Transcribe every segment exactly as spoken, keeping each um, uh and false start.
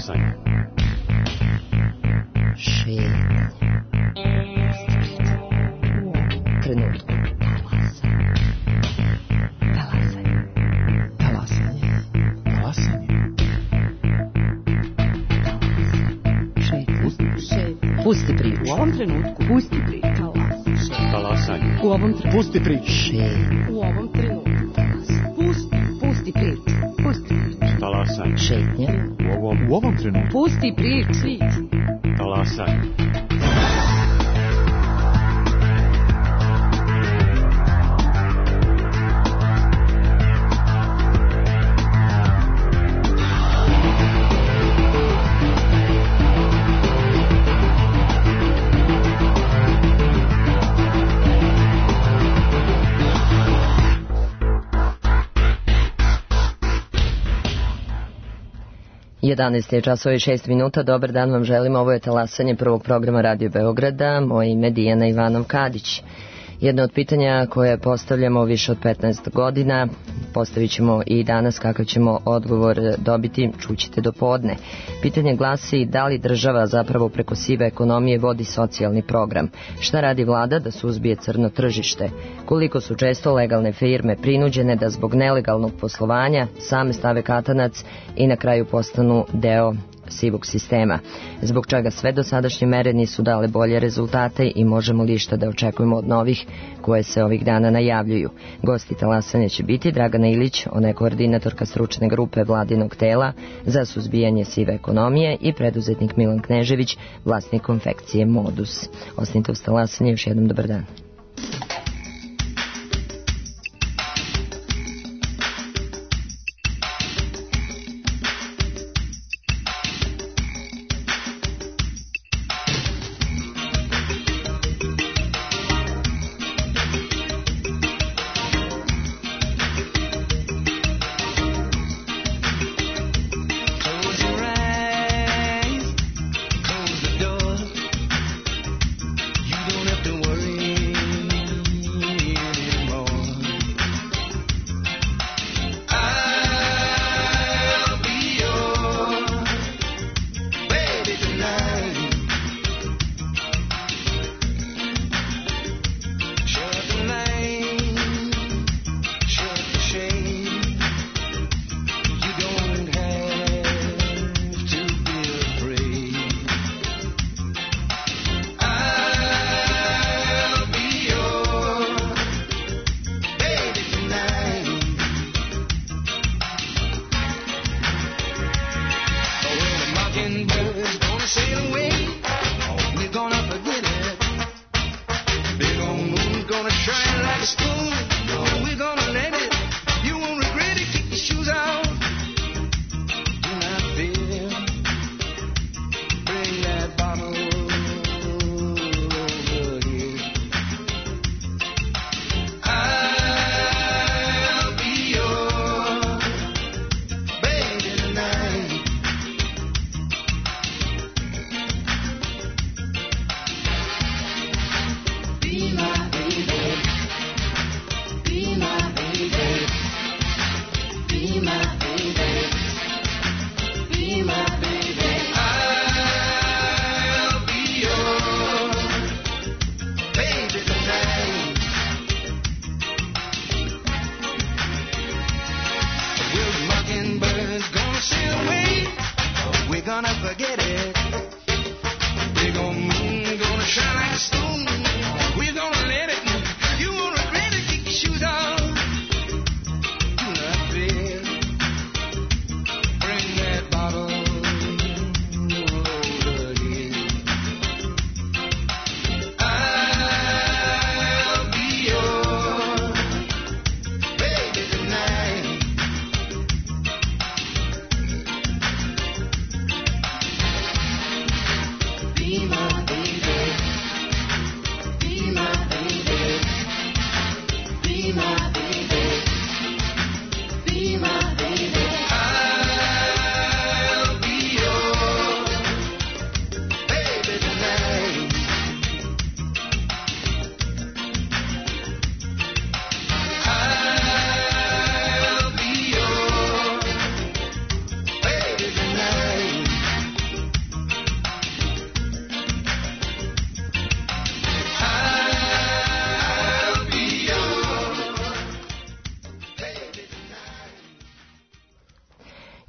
Talasanje. Šetnje. Trenutku. Talasanje. Talasanje. Talasanje. Šetnje. Pusti priču. U ovom trenutku. Pusti priču. Talasanje. U ovom trenutku. Pusti priču. Šetnje. U ovom trenutku. Pusti. Pusti priču. Pusti priču. Talasanje. Šetnje. U ovom, u ovom trenutku. Pusti priču. Talasanje. jedanaest je časova i šest minuta. Dobar dan vam želim. Ovo je talasanje prvog programa Radio Beograda. Moje ime je Dijana Ivanov-Kadić. Jedno od pitanja koje postavljamo više od petnaest godina, postavit ćemo i danas. Kakav ćemo odgovor dobiti, čućete do podne. Pitanje glasi: da li država zapravo preko sive ekonomije vodi socijalni program? Šta radi vlada da suzbije crno tržište? Koliko su često legalne firme prinuđene da zbog nelegalnog poslovanja same stave katanac i na kraju postanu deo sivog sistema? Zbog čega sve dosadašnje mere nisu dale bolje rezultate i možemo li šta da očekujemo od novih koje se ovih dana najavljuju? Gosti talasanja će biti Dragana Ilić, ona je koordinatorka stručne grupe vladinog tela za suzbijanje sive ekonomije, i preduzetnik Milan Knežević, vlasnik konfekcije Modus. Ostanite uz talasanje, još jednom dobar dan.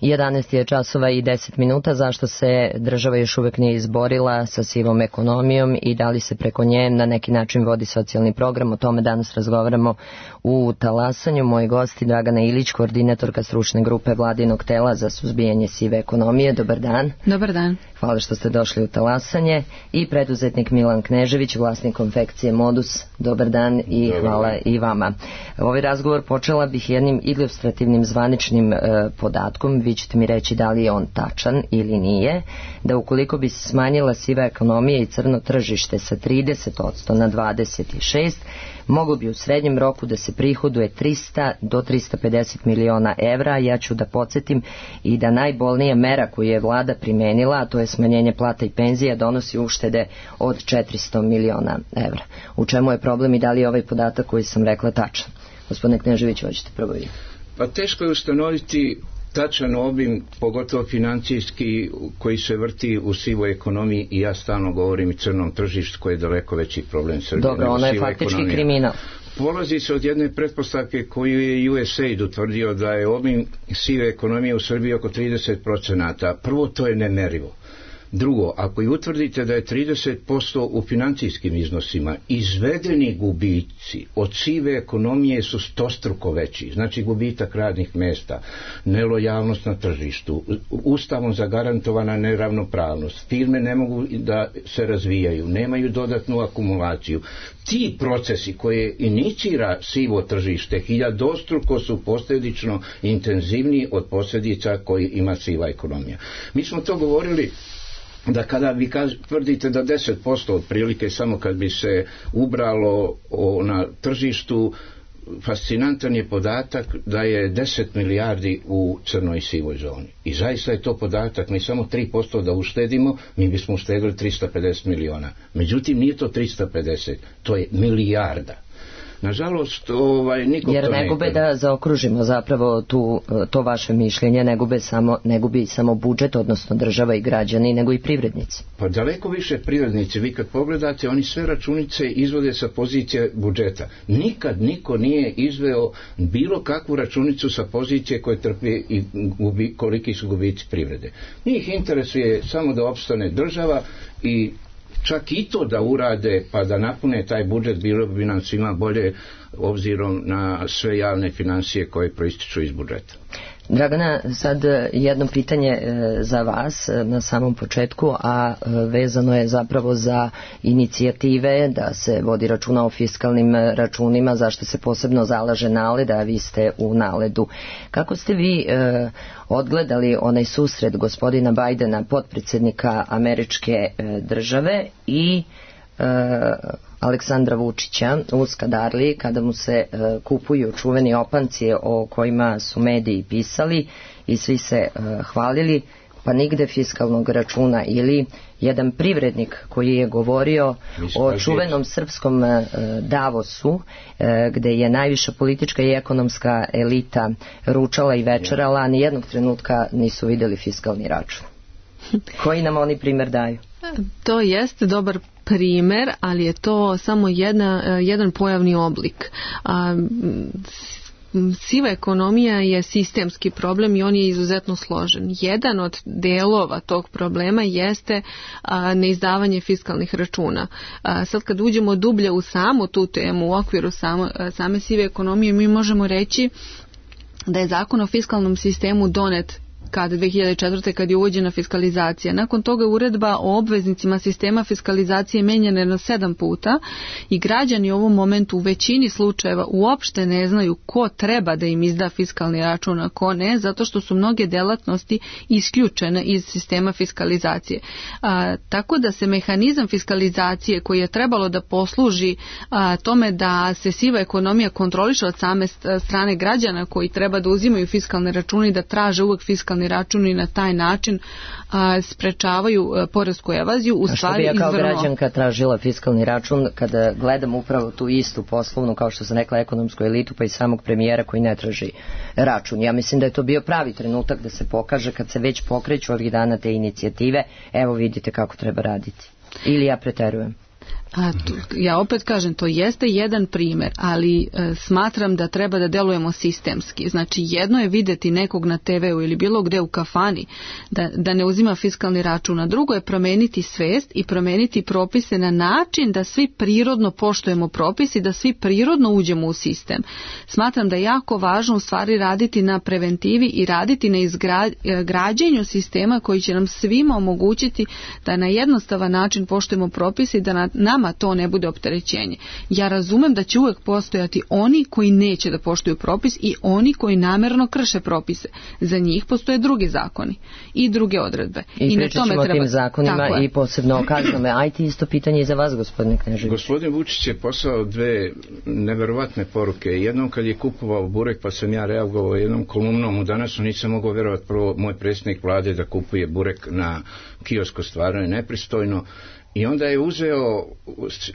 jedanaest je časova i deset minuta. Zašto se država još uvek nije izborila sa sivom ekonomijom i da li se preko nje na neki način vodi socijalni program? O tome danas razgovaramo u Talasanju. Moji gosti Dragana Ilić, koordinatorka stručne grupe Vladinog tela za suzbijanje sive ekonomije. Dobar dan. Dobar dan. Hvala što ste došli u Talasanje. I preduzetnik Milan Knežević, vlasnik konfekcije Modus. Dobar dan i Dobar hvala dan. i vama. Ovaj razgovor počela bih jednim ilustrativnim zvaničnim e, podatkom. Vi ćete mi reći da li je on tačan ili nije. Da ukoliko bi se smanjila siva ekonomija i crno tržište sa trideset posto na dvadeset šest posto, moglo bi u srednjem roku da se prihoduje trista do trista pedeset miliona evra. Ja ću da podsjetim i da najbolnija mera koju je vlada primenila, a to je smanjenje plata i penzija, donosi uštede od četiristo miliona evra. U čemu je problem i da li je ovaj podatak koji sam rekla tačan? Gospodine Knežević, hoćete prvo vi. Pa teško je ustanoviti tačan obim, pogotovo financijski, koji se vrti u sivoj ekonomiji, i ja stalno govorim i crnom tržištu koji je daleko veći problem Srbije. Dobro, ono je faktički ekonomija. Kriminal. Polazi se od jedne pretpostavke koju je U S A I D utvrdio, da je obim sive ekonomije u Srbiji oko trideset posto. Prvo, to je nemerivo. Drugo, ako i utvrdite da je trideset posto u financijskim iznosima, izvedeni gubici od sive ekonomije su stostruko veći. Znači gubitak radnih mesta, nelojalnost na tržištu, ustavom zagarantovana neravnopravnost, firme ne mogu da se razvijaju, nemaju dodatnu akumulaciju. Ti procesi koje inicira sivo tržište hiljadostruko su posljedično intenzivniji od posljedica koji ima siva ekonomija. Mi smo to govorili da kada vi kaž, tvrdite da deset posto otprilike samo kad bi se ubralo o, na tržištu, fascinantan je podatak da je deset milijardi u crnoj i sivoj zoni. I zaista je to podatak, mi samo tri posto da uštedimo, mi bismo uštedili trista pedeset miliona. Međutim, nije to trista pedeset, to je milijarda. Nažalost, ovaj, nikom Jer to ne ne gube da zaokružimo zapravo tu, to vaše mišljenje, ne gube samo, ne gubi samo budžet, odnosno država i građani, nego i privrednici. Pa daleko više privrednici. Vi kad pogledate, oni sve računice izvode sa pozicije budžeta. Nikad niko nije izveo bilo kakvu računicu sa pozicije koje trpi i gubi, koliki su gubici privrede. Njih interesuje samo da opstane država, i čak i to da urade pa da napune taj budžet, bilo bi nam svima bolje obzirom na sve javne financije koje proističu iz budžeta. Dragana, sad jedno pitanje za vas na samom početku, a vezano je zapravo za inicijative da se vodi računa o fiskalnim računima, zašto se posebno zalaže NALED, a vi ste u NALED-u. Kako ste vi eh, odgledali onaj susret gospodina Bajdena, potpredsjednika američke eh, države, i eh, Aleksandra Vučića u Skadarliji, kada mu se e, kupuju čuveni opanci o kojima su mediji pisali i svi se e, hvalili, pa nigde fiskalnog računa, ili jedan privrednik koji je govorio o čuvenom srpskom e, Davosu, e, gde je najviša politička i ekonomska elita ručala i večerala, a nijednog trenutka nisu vidjeli fiskalni račun. Koji nam oni primjer daju? To jeste dobar primer, ali je to samo jedna, jedan pojavni oblik. A, siva ekonomija je sistemski problem i on je izuzetno složen. Jedan od delova tog problema jeste a, neizdavanje fiskalnih računa. A, sad kad uđemo dublje u samu tu temu, u okviru samo, same sive ekonomije, mi možemo reći da je zakon o fiskalnom sistemu donet kad dve hiljade četvrte kad je uvođena fiskalizacija. Nakon toga je uredba o obveznicima sistema fiskalizacije menjana na sedam puta i građani u ovom momentu u većini slučajeva uopšte ne znaju ko treba da im izda fiskalni račun, a ko ne, zato što su mnoge delatnosti isključene iz sistema fiskalizacije. A, tako da se mehanizam fiskalizacije koji je trebalo da posluži a, tome da se siva ekonomija kontroliše od same strane građana koji treba da uzimaju fiskalne račune i da traže uvek fiskalni račun i na taj način a, sprečavaju a, poresku evaziju. U a što stvari bi ja kao izvrno... građanka tražila fiskalni račun kada gledam upravo tu istu poslovnu, kao što sam rekla, ekonomsku elitu, pa i samog premijera koji ne traži račun? Ja mislim da je to bio pravi trenutak da se pokaže, kad se već pokreću ovih dana te inicijative, evo vidite kako treba raditi. Ili ja preterujem? A tu, ja opet kažem, to jeste jedan primjer, ali e, smatram da treba da delujemo sistemski. Znači, jedno je vidjeti nekog na te veu ili bilo gde u kafani da, da ne uzima fiskalni račun, a drugo je promeniti svest i promeniti propise na način da svi prirodno poštujemo propise i da svi prirodno uđemo u sistem. Smatram da je jako važno u stvari raditi na preventivi i raditi na izgrađenju sistema koji će nam svima omogućiti da na jednostavan način poštujemo propise i da na, nama to ne bude opterećenje. Ja razumem da će uvek postojati oni koji neće da poštuju propis i oni koji namerno krše propise. Za njih postoje drugi zakoni i druge odredbe. I, I pričat ćemo o treba... tim zakonima i posebno o kaznama. Ajte, isto pitanje i za vas, gospodine Knežević. Gospodin Vučić je poslao dve neverovatne poruke. Jednom kad je kupovao burek, pa sam ja reagovao jednom kolumnom u Danasu, nisam mogao vjerovati, prvo moj predsjednik vlade da kupuje burek na kiosku, stvarno je nepristojno. I onda je uzeo,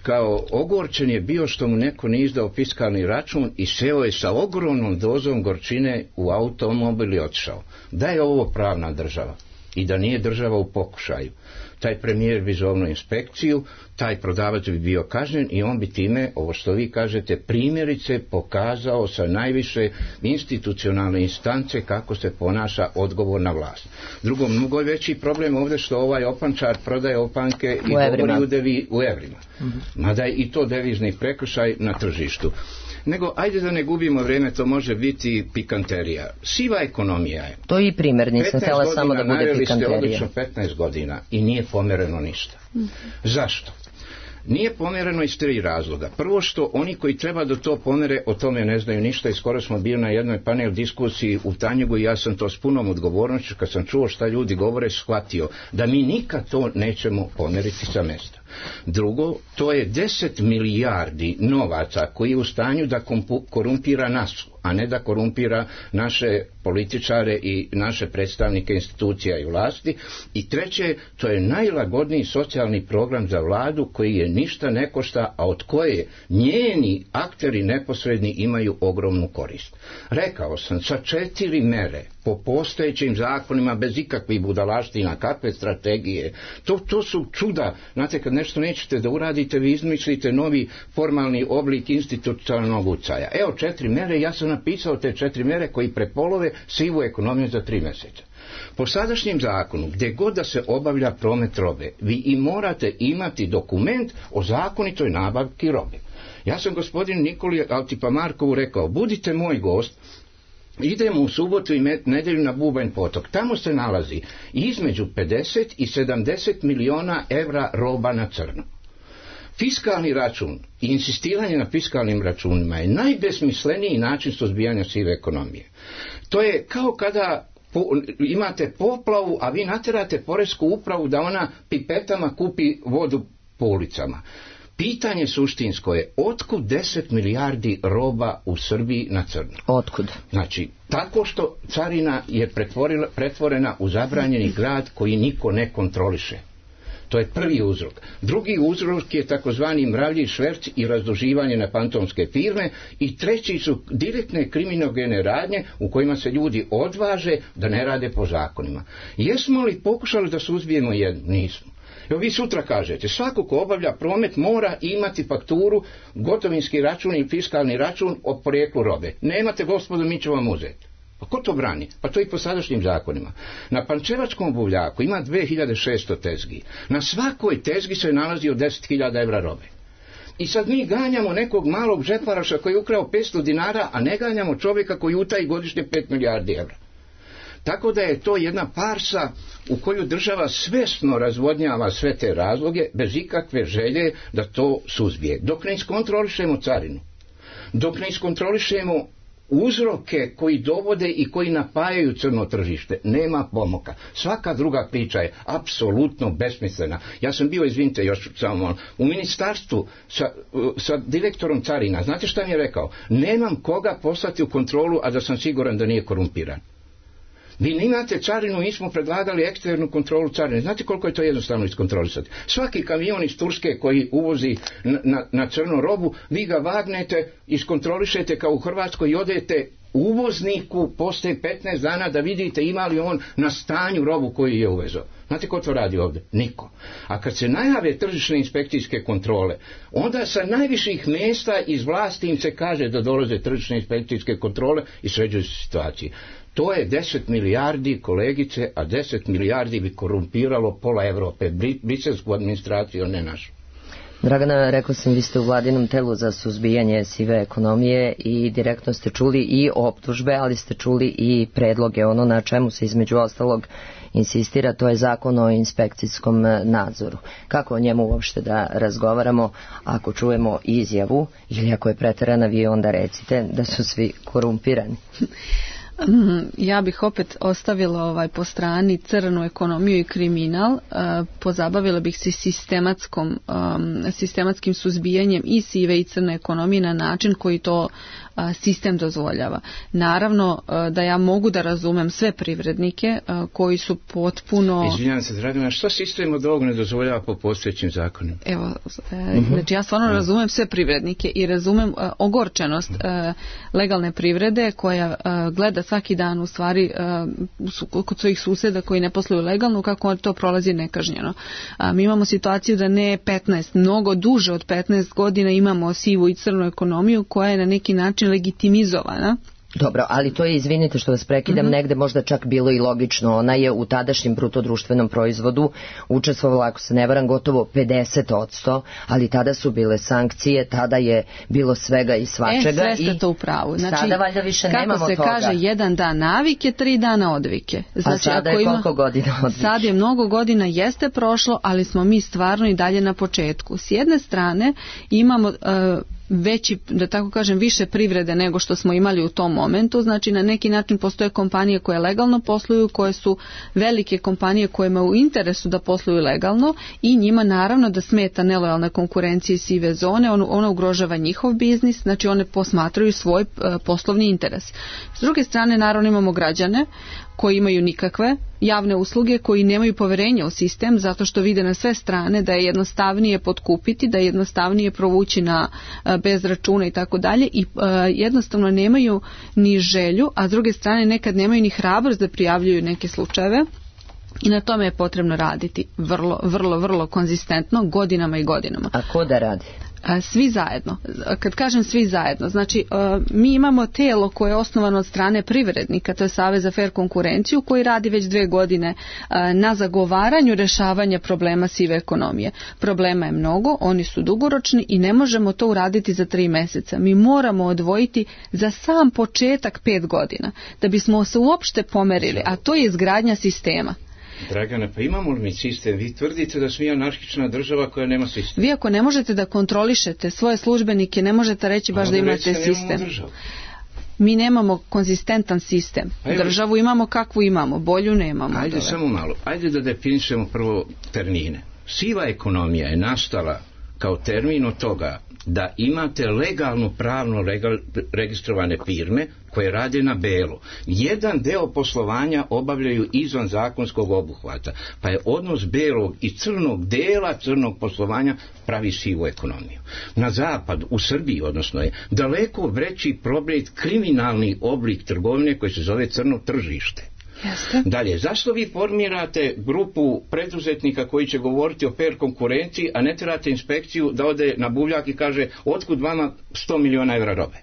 kao ogorčen je bio što mu neko nije izdao fiskalni račun i seo je sa ogromnom dozom gorčine u automobil i otišao. Da je ovo pravna država i da nije država u pokušaju, taj premijer bi zovnuo inspekciju, taj prodavac bi bio kažnjen i on bi time, ovo što vi kažete, primjerice pokazao sa najviše institucionalne instance kako se ponaša odgovorna vlast. Drugo, mnogo je veći problem ovdje što ovaj opančar prodaje opanke i govori u, devi, u evrima. Mm-hmm. Mada je i to devizni prekršaj na tržištu. Nego, ajde da ne gubimo vrijeme, to može biti pikanterija. Siva ekonomija je. To je i primjer, nisam htjela samo da bude pikanterija. Naveli ste odlično petnaest godina i nije pomereno ništa. Mm. Zašto? Nije pomjereno iz tri razloga. Prvo što oni koji treba da to pomere o tome ne znaju ništa i skoro smo bili na jednoj panel diskusiji u Tanjugu i ja sam to s punom odgovornošću kad sam čuo šta ljudi govore shvatio da mi nikad to nećemo pomeriti sa mjesta. Drugo, to je deset milijardi novaca koji je u stanju da korumpira nas, a ne da korumpira naše političare i naše predstavnike institucija i vlasti. I treće, to je najlagodniji socijalni program za vladu koji je ništa ne košta, a od koje njeni akteri neposredni imaju ogromnu korist. Rekao sam, sa četiri mere po postojećim zakonima bez ikakvih budalaština, kakve strategije, to, to su čuda. Znate, kad nešto nećete da uradite, vi izmislite novi formalni oblik institucionalnog ucaja. Evo četiri mere, ja sam napisao te četiri mere koji prepolove sivu ekonomiju za tri mjeseca. Po sadašnjem zakonu, gdje god da se obavlja promet robe, vi i morate imati dokument o zakonitoj nabavki robe. Ja sam gospodinu Nikoli Altipamarkovu rekao, budite moj gost, idemo u subotu i nedjelju na Bubanj potok. Tamo se nalazi između pedeset i sedamdeset miliona evra roba na crno. Fiskalni račun i insistiranje na fiskalnim računima je najbesmisleniji način suzbijanja sive ekonomije. To je kao kada po, imate poplavu, a vi naterate poresku upravu da ona pipetama kupi vodu po ulicama. Pitanje suštinsko je, otkud deset milijardi roba u Srbiji na crno? Otkud? Znači, tako što carina je pretvorena u zabranjeni grad koji niko ne kontroliše. To je prvi uzrok. Drugi uzrok je takozvani mravlji šverc i razduživanje na fantomske firme i treći su direktne kriminogene radnje u kojima se ljudi odvaže da ne rade po zakonima. Jesmo li pokušali da suzbijemo jedno? Nismo. Evo vi sutra kažete, svako ko obavlja promet mora imati fakturu, gotovinski račun i fiskalni račun o porijeklu robe. Nemate, gospodo, mi ćemo vam uzeti. Pa ko to brani? Pa to i po sadašnjim zakonima. Na Pančevačkom buvljaku ima dve hiljade šesto tezgi. Na svakoj tezgi se nalazi od deset hiljada evra robe. I sad mi ganjamo nekog malog žeparaša koji je ukrao petsto dinara, a ne ganjamo čovjeka koji utaji godišnje pet milijardi evra. Tako da je to jedna farsa u koju država svjesno razvodnjava sve te razloge bez ikakve želje da to suzbije. Dok ne iskontrolišemo carinu, dok ne iskontrolišemo uzroke koji dovode i koji napajaju crno tržište, nema pomoka. Svaka druga priča je apsolutno besmislena. Ja sam bio, izvinite, još samo u ministarstvu sa, sa direktorom carina. Znate šta mi je rekao? Nemam koga poslati u kontrolu, a da sam siguran da nije korumpiran. Vi nemate carinu, mi smo predlagali eksternu kontrolu carine. Znate koliko je to jednostavno iskontrolisati? Svaki kamion iz Turske koji uvozi na, na, na crnu robu, vi ga vagnete, iskontrolišete kao u Hrvatskoj i odete uvozniku postoje petnaest dana da vidite ima li on na stanju robu koju je uvezao. Znate ko to radi ovdje? Niko. A kad se najave tržišne inspekcijske kontrole, onda sa najviših mjesta iz vlasti im se kaže da dolaze tržišne inspekcijske kontrole i sređuju se situacije. To je deset milijardi, kolegice, a deset milijardi bi korumpiralo pola Evrope, briselsku administraciju, ne našu. Dragana, rekao sam, vi ste u vladinom telu za suzbijanje sive ekonomije i direktno ste čuli i optužbe, ali ste čuli i predloge. Ono na čemu se između ostalog insistira, to je zakon o inspekcijskom nadzoru. Kako o njemu uopšte da razgovaramo ako čujemo izjavu, ili ako je preterana, vi onda recite da su svi korumpirani? Ja bih opet ostavila ovaj po strani crnu ekonomiju i kriminal, pozabavila bih se sistematskom, sistematskim suzbijanjem i sive i crne ekonomije na način koji to sistem dozvoljava. Naravno da ja mogu da razumem sve privrednike koji su potpuno... Izvinjavam se, Dragana, što sistem od ovog ne dozvoljava po postojećim zakonima? Evo, znači ja stvarno razumem sve privrednike i razumem ogorčenost legalne privrede koja gleda svaki dan u stvari kod svojih suseda koji ne posluju legalno, kako to prolazi nekažnjeno. Mi imamo situaciju da ne petnaest, mnogo duže od petnaest godina imamo sivu i crnu ekonomiju koja je na neki način legitimizovana. Dobro, ali to je, izvinite što vas prekidam, mm-hmm. negde možda čak bilo i logično. Ona je u tadašnjem brutodruštvenom proizvodu učestvovala, ako se ne varam, gotovo pedeset posto, ali tada su bile sankcije, tada je bilo svega i svačega. E, sve ste to u pravu. Znači, sada valjda više nemamo toga. Kako se kaže, jedan dan navike, tri dana odvike. Znači, a sada je koliko ima, godina odvike? Sad je mnogo godina, jeste prošlo, ali smo mi stvarno i dalje na početku. S jedne strane imamo... Uh, veći, da tako kažem, više privrede nego što smo imali u tom momentu. Znači na neki način postoje kompanije koje legalno posluju, koje su velike kompanije kojima u interesu da posluju legalno i njima naravno da smeta nelojalna konkurencija i sive zone, on, ona ugrožava njihov biznis, znači one posmatraju svoj uh, poslovni interes. S druge strane naravno imamo građane koji imaju nikakve javne usluge, koji nemaju poverenja u sistem zato što vide na sve strane da je jednostavnije potkupiti, da je jednostavnije provući na bez računa i tako dalje i jednostavno nemaju ni želju, a s druge strane nekad nemaju ni hrabrost da prijavljuju neke slučajeve. I na tome je potrebno raditi vrlo, vrlo, vrlo konzistentno, godinama i godinama. A ko da radi? Svi zajedno. Kad kažem svi zajedno, znači mi imamo tijelo koje je osnovano od strane privrednika, to je Savez za fer konkurenciju, koji radi već dve godine na zagovaranju rješavanja problema sive ekonomije. Problema je mnogo, oni su dugoročni i ne možemo to uraditi za tri mjeseca. Mi moramo odvojiti za sam početak pet godina, da bismo se uopšte pomerili, a to je izgradnja sistema. Dragana, pa imamo li mi sistem? Vi tvrdite da smo anarhična država koja nema sistem. Vi ako ne možete da kontrolišete svoje službenike, ne možete reći baš da imate sistem. Mi nemamo konzistentan sistem. Ajde, državu imamo kakvu imamo, bolju nemamo. Ajde dole. Samo malo, ajde da definišemo prvo termine. Siva ekonomija je nastala kao termin od toga da imate legalno pravno legal, registrovane firme koje rade na belo. Jedan deo poslovanja obavljaju izvan zakonskog obuhvata, pa je odnos belog i crnog dela crnog poslovanja pravi sivu ekonomiju. Na zapadu, u Srbiji, odnosno je daleko veći problem kriminalni oblik trgovine koji se zove crno tržište. Jeste. Dalje, zašto vi formirate grupu preduzetnika koji će govoriti o fer konkurenciji, a ne trebate inspekciju da ode na buvljak i kaže otkud vama sto miliona evra robe?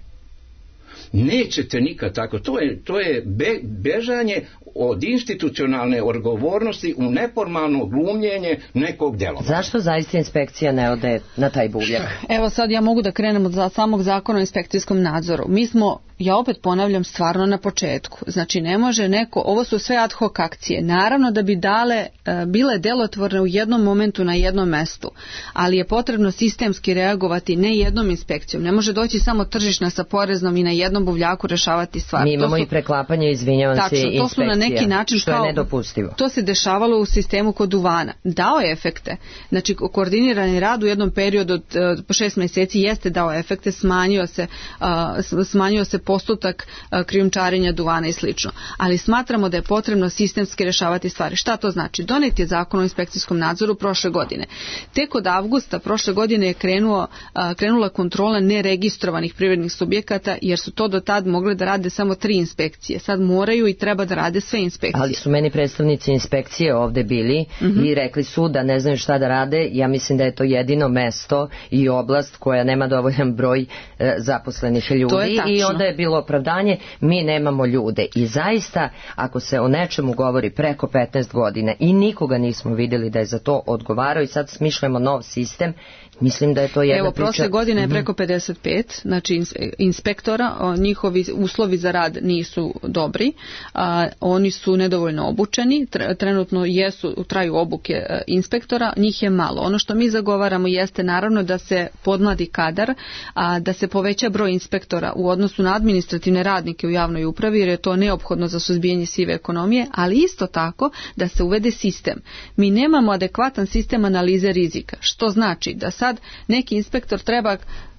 Nećete nikad tako. To je, to je be, bežanje od institucionalne odgovornosti u neformalno glumljenje nekog djelovanja. Zašto zaista inspekcija ne ode na taj buvljak? Evo sad ja mogu da krenem od samog zakona o inspekcijskom nadzoru. Mi smo, ja opet ponavljam, stvarno na početku. Znači ne može neko, ovo su sve ad hoc akcije. Naravno da bi dale, bile delotvorne u jednom momentu na jednom mestu, ali je potrebno sistemski reagovati ne jednom inspekcijom. Ne može doći samo tržišna sa poreznom i na jednom buvljaku rešavati stvar. Mi imamo su, i preklapanje, izvinjavam tačno, se, inspekcija. To su na neki način što kao, je nedopustivo. To se dešavalo u sistemu kod duvana. Dao je efekte. Znači koordinirani rad u jednom periodu od uh, šest mjeseci jeste dao efekte, smanjio se, uh, smanjio se postotak krijumčarenja duvana i slično. Ali smatramo da je potrebno sistemski rješavati stvari. Šta to znači? Donet je zakon o inspekcijskom nadzoru prošle godine. Tek od avgusta prošle godine je krenuo, krenula kontrola neregistrovanih privrednih subjekata, jer su to do tad mogle da rade samo tri inspekcije. Sad moraju i treba da rade sve inspekcije. Ali su meni predstavnici inspekcije ovde bili mm-hmm. i rekli su da ne znaju šta da rade. Ja mislim da je to jedino mesto i oblast koja nema dovoljan broj e, zaposlenih ljudi. I onda je bilo opravdanje, mi nemamo ljude. I zaista, ako se o nečemu govori preko petnaest godina i nikoga nismo vidjeli da je za to odgovarao i sad smišljamo nov sistem, mislim da je to jedna Evo, priča. prošle godine je preko pedeset pet, znači inspektora, njihovi uslovi za rad nisu dobri, a, oni su nedovoljno obučeni, trenutno jesu, traju obuke inspektora, njih je malo. Ono što mi zagovaramo jeste naravno da se podmladi kadar, a da se poveća broj inspektora u odnosu na administrativne radnike u javnoj upravi, jer je to neophodno za suzbijanje sive ekonomije, ali isto tako da se uvede sistem. Mi nemamo adekvatan sistem analize rizika, što znači da sad neki inspektor treba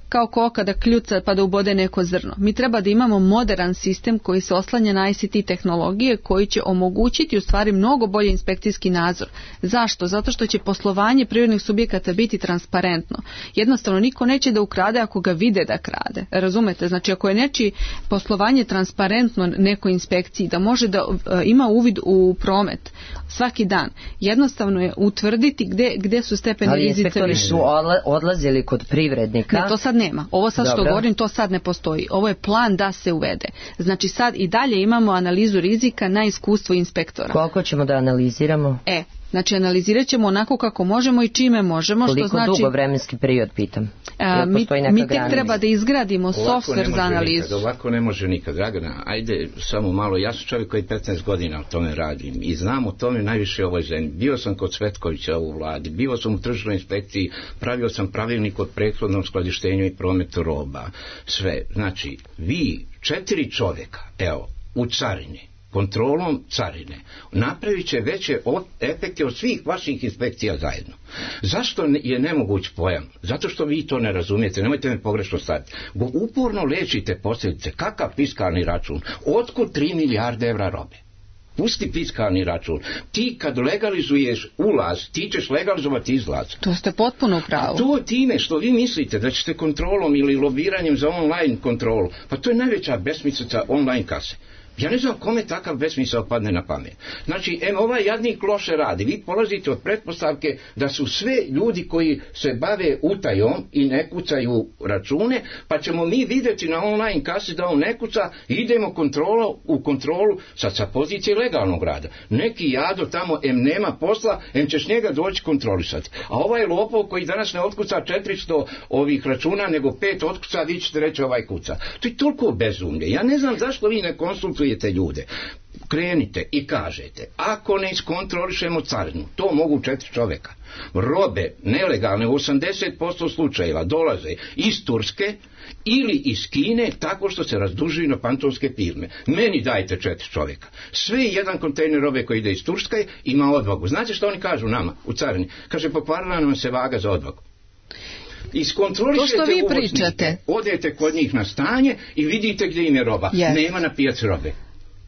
kao koka da kljuca pa da ubode neko zrno. Mi treba da imamo moderan sistem koji se oslanja na I C T tehnologije, koji će omogućiti u stvari mnogo bolji inspekcijski nadzor. Zašto? Zato što će poslovanje privrednih subjekata biti transparentno. Jednostavno niko neće da ukrade ako ga vide da krade. Razumete? Znači ako je nečije poslovanje transparentno nekoj inspekciji, da može da uh, ima uvid u promet svaki dan, jednostavno je utvrditi gde, gde su stepeni rizice. Ali inspektori su odlazili kod privrednika. Ne, to sad nema. Ovo sad Dobro. što govorim, to sad ne postoji. Ovo je plan da se uvede. Znači sad i dalje imamo analizu rizika na iskustvo inspektora. Koliko ćemo da analiziramo? E, znači analizirat ćemo onako kako možemo i čime možemo. Koliko što znači, dugo vremenski period, pitam? A, mi, mi tek treba da izgradimo software za analizu. Nikad, ovako ne može nikad. Dragana, ajde samo malo. Ja sam čovjek koji petnaest godina o tome radim i znam o tome najviše u ovoj zemlji. Bio sam kod Cvetkovića u vladi, bio sam u tržišnoj inspekciji, pravio sam pravilnik o prethodnom skladištenju i prometu roba. Sve. Znači, vi, četiri čovjeka, evo, u carini, kontrolom carine, napravit će veće efekte od svih vaših inspekcija zajedno. Zašto je nemoguć pojam? Zato što vi to ne razumijete, nemojte me pogrešno staviti. Bo uporno lečite posljedice. Kakav fiskalni račun? Otkud tri milijarde evra robe? Pusti fiskalni račun. Ti kad legalizuješ ulaz, ti ćeš legalizovati izlaz. To ste potpuno u pravu. A to time što vi mislite da ćete kontrolom ili lobiranjem za online kontrolu, pa to je najveća besmislica online kase. Ja ne znam kome takav besmisao padne na pamet. Znači, em, ovaj jadnik loše radi. Vi polazite od pretpostavke da su sve ljudi koji se bave utajom i ne kucaju račune, pa ćemo mi vidjeti na online kasi da on ne kuca, idemo kontrolo, u kontrolu sad sa pozicije legalnog rada. Neki jado tamo, em nema posla, em ćeš njega doći kontrolisati. A ovaj lopov koji danas ne otkuca četiristo ovih računa, nego pet otkuca, vi ćete reći ovaj kuca. To je toliko bezumlje. Ja ne znam zašto vi ne konsultujete ljude. Krenite i kažete, ako ne iskontrolišemo carinu, to mogu četiri čovjeka. Robe nelegalne u osamdeset posto slučajeva dolaze iz Turske ili iz Kine tako što se razdužuju na pantovske firme. Meni dajte četiri čovjeka. Sve jedan kontejner robe koji ide iz Turske ima odvagu. Znate što oni kažu nama u carini? Kaže, pokvarila nam se vaga za odvagu. Iskontrolišete to što vi uvoznike, pričate. Odete kod njih na stanje i vidite gdje im je roba. Yes. Nema na pijaci robe.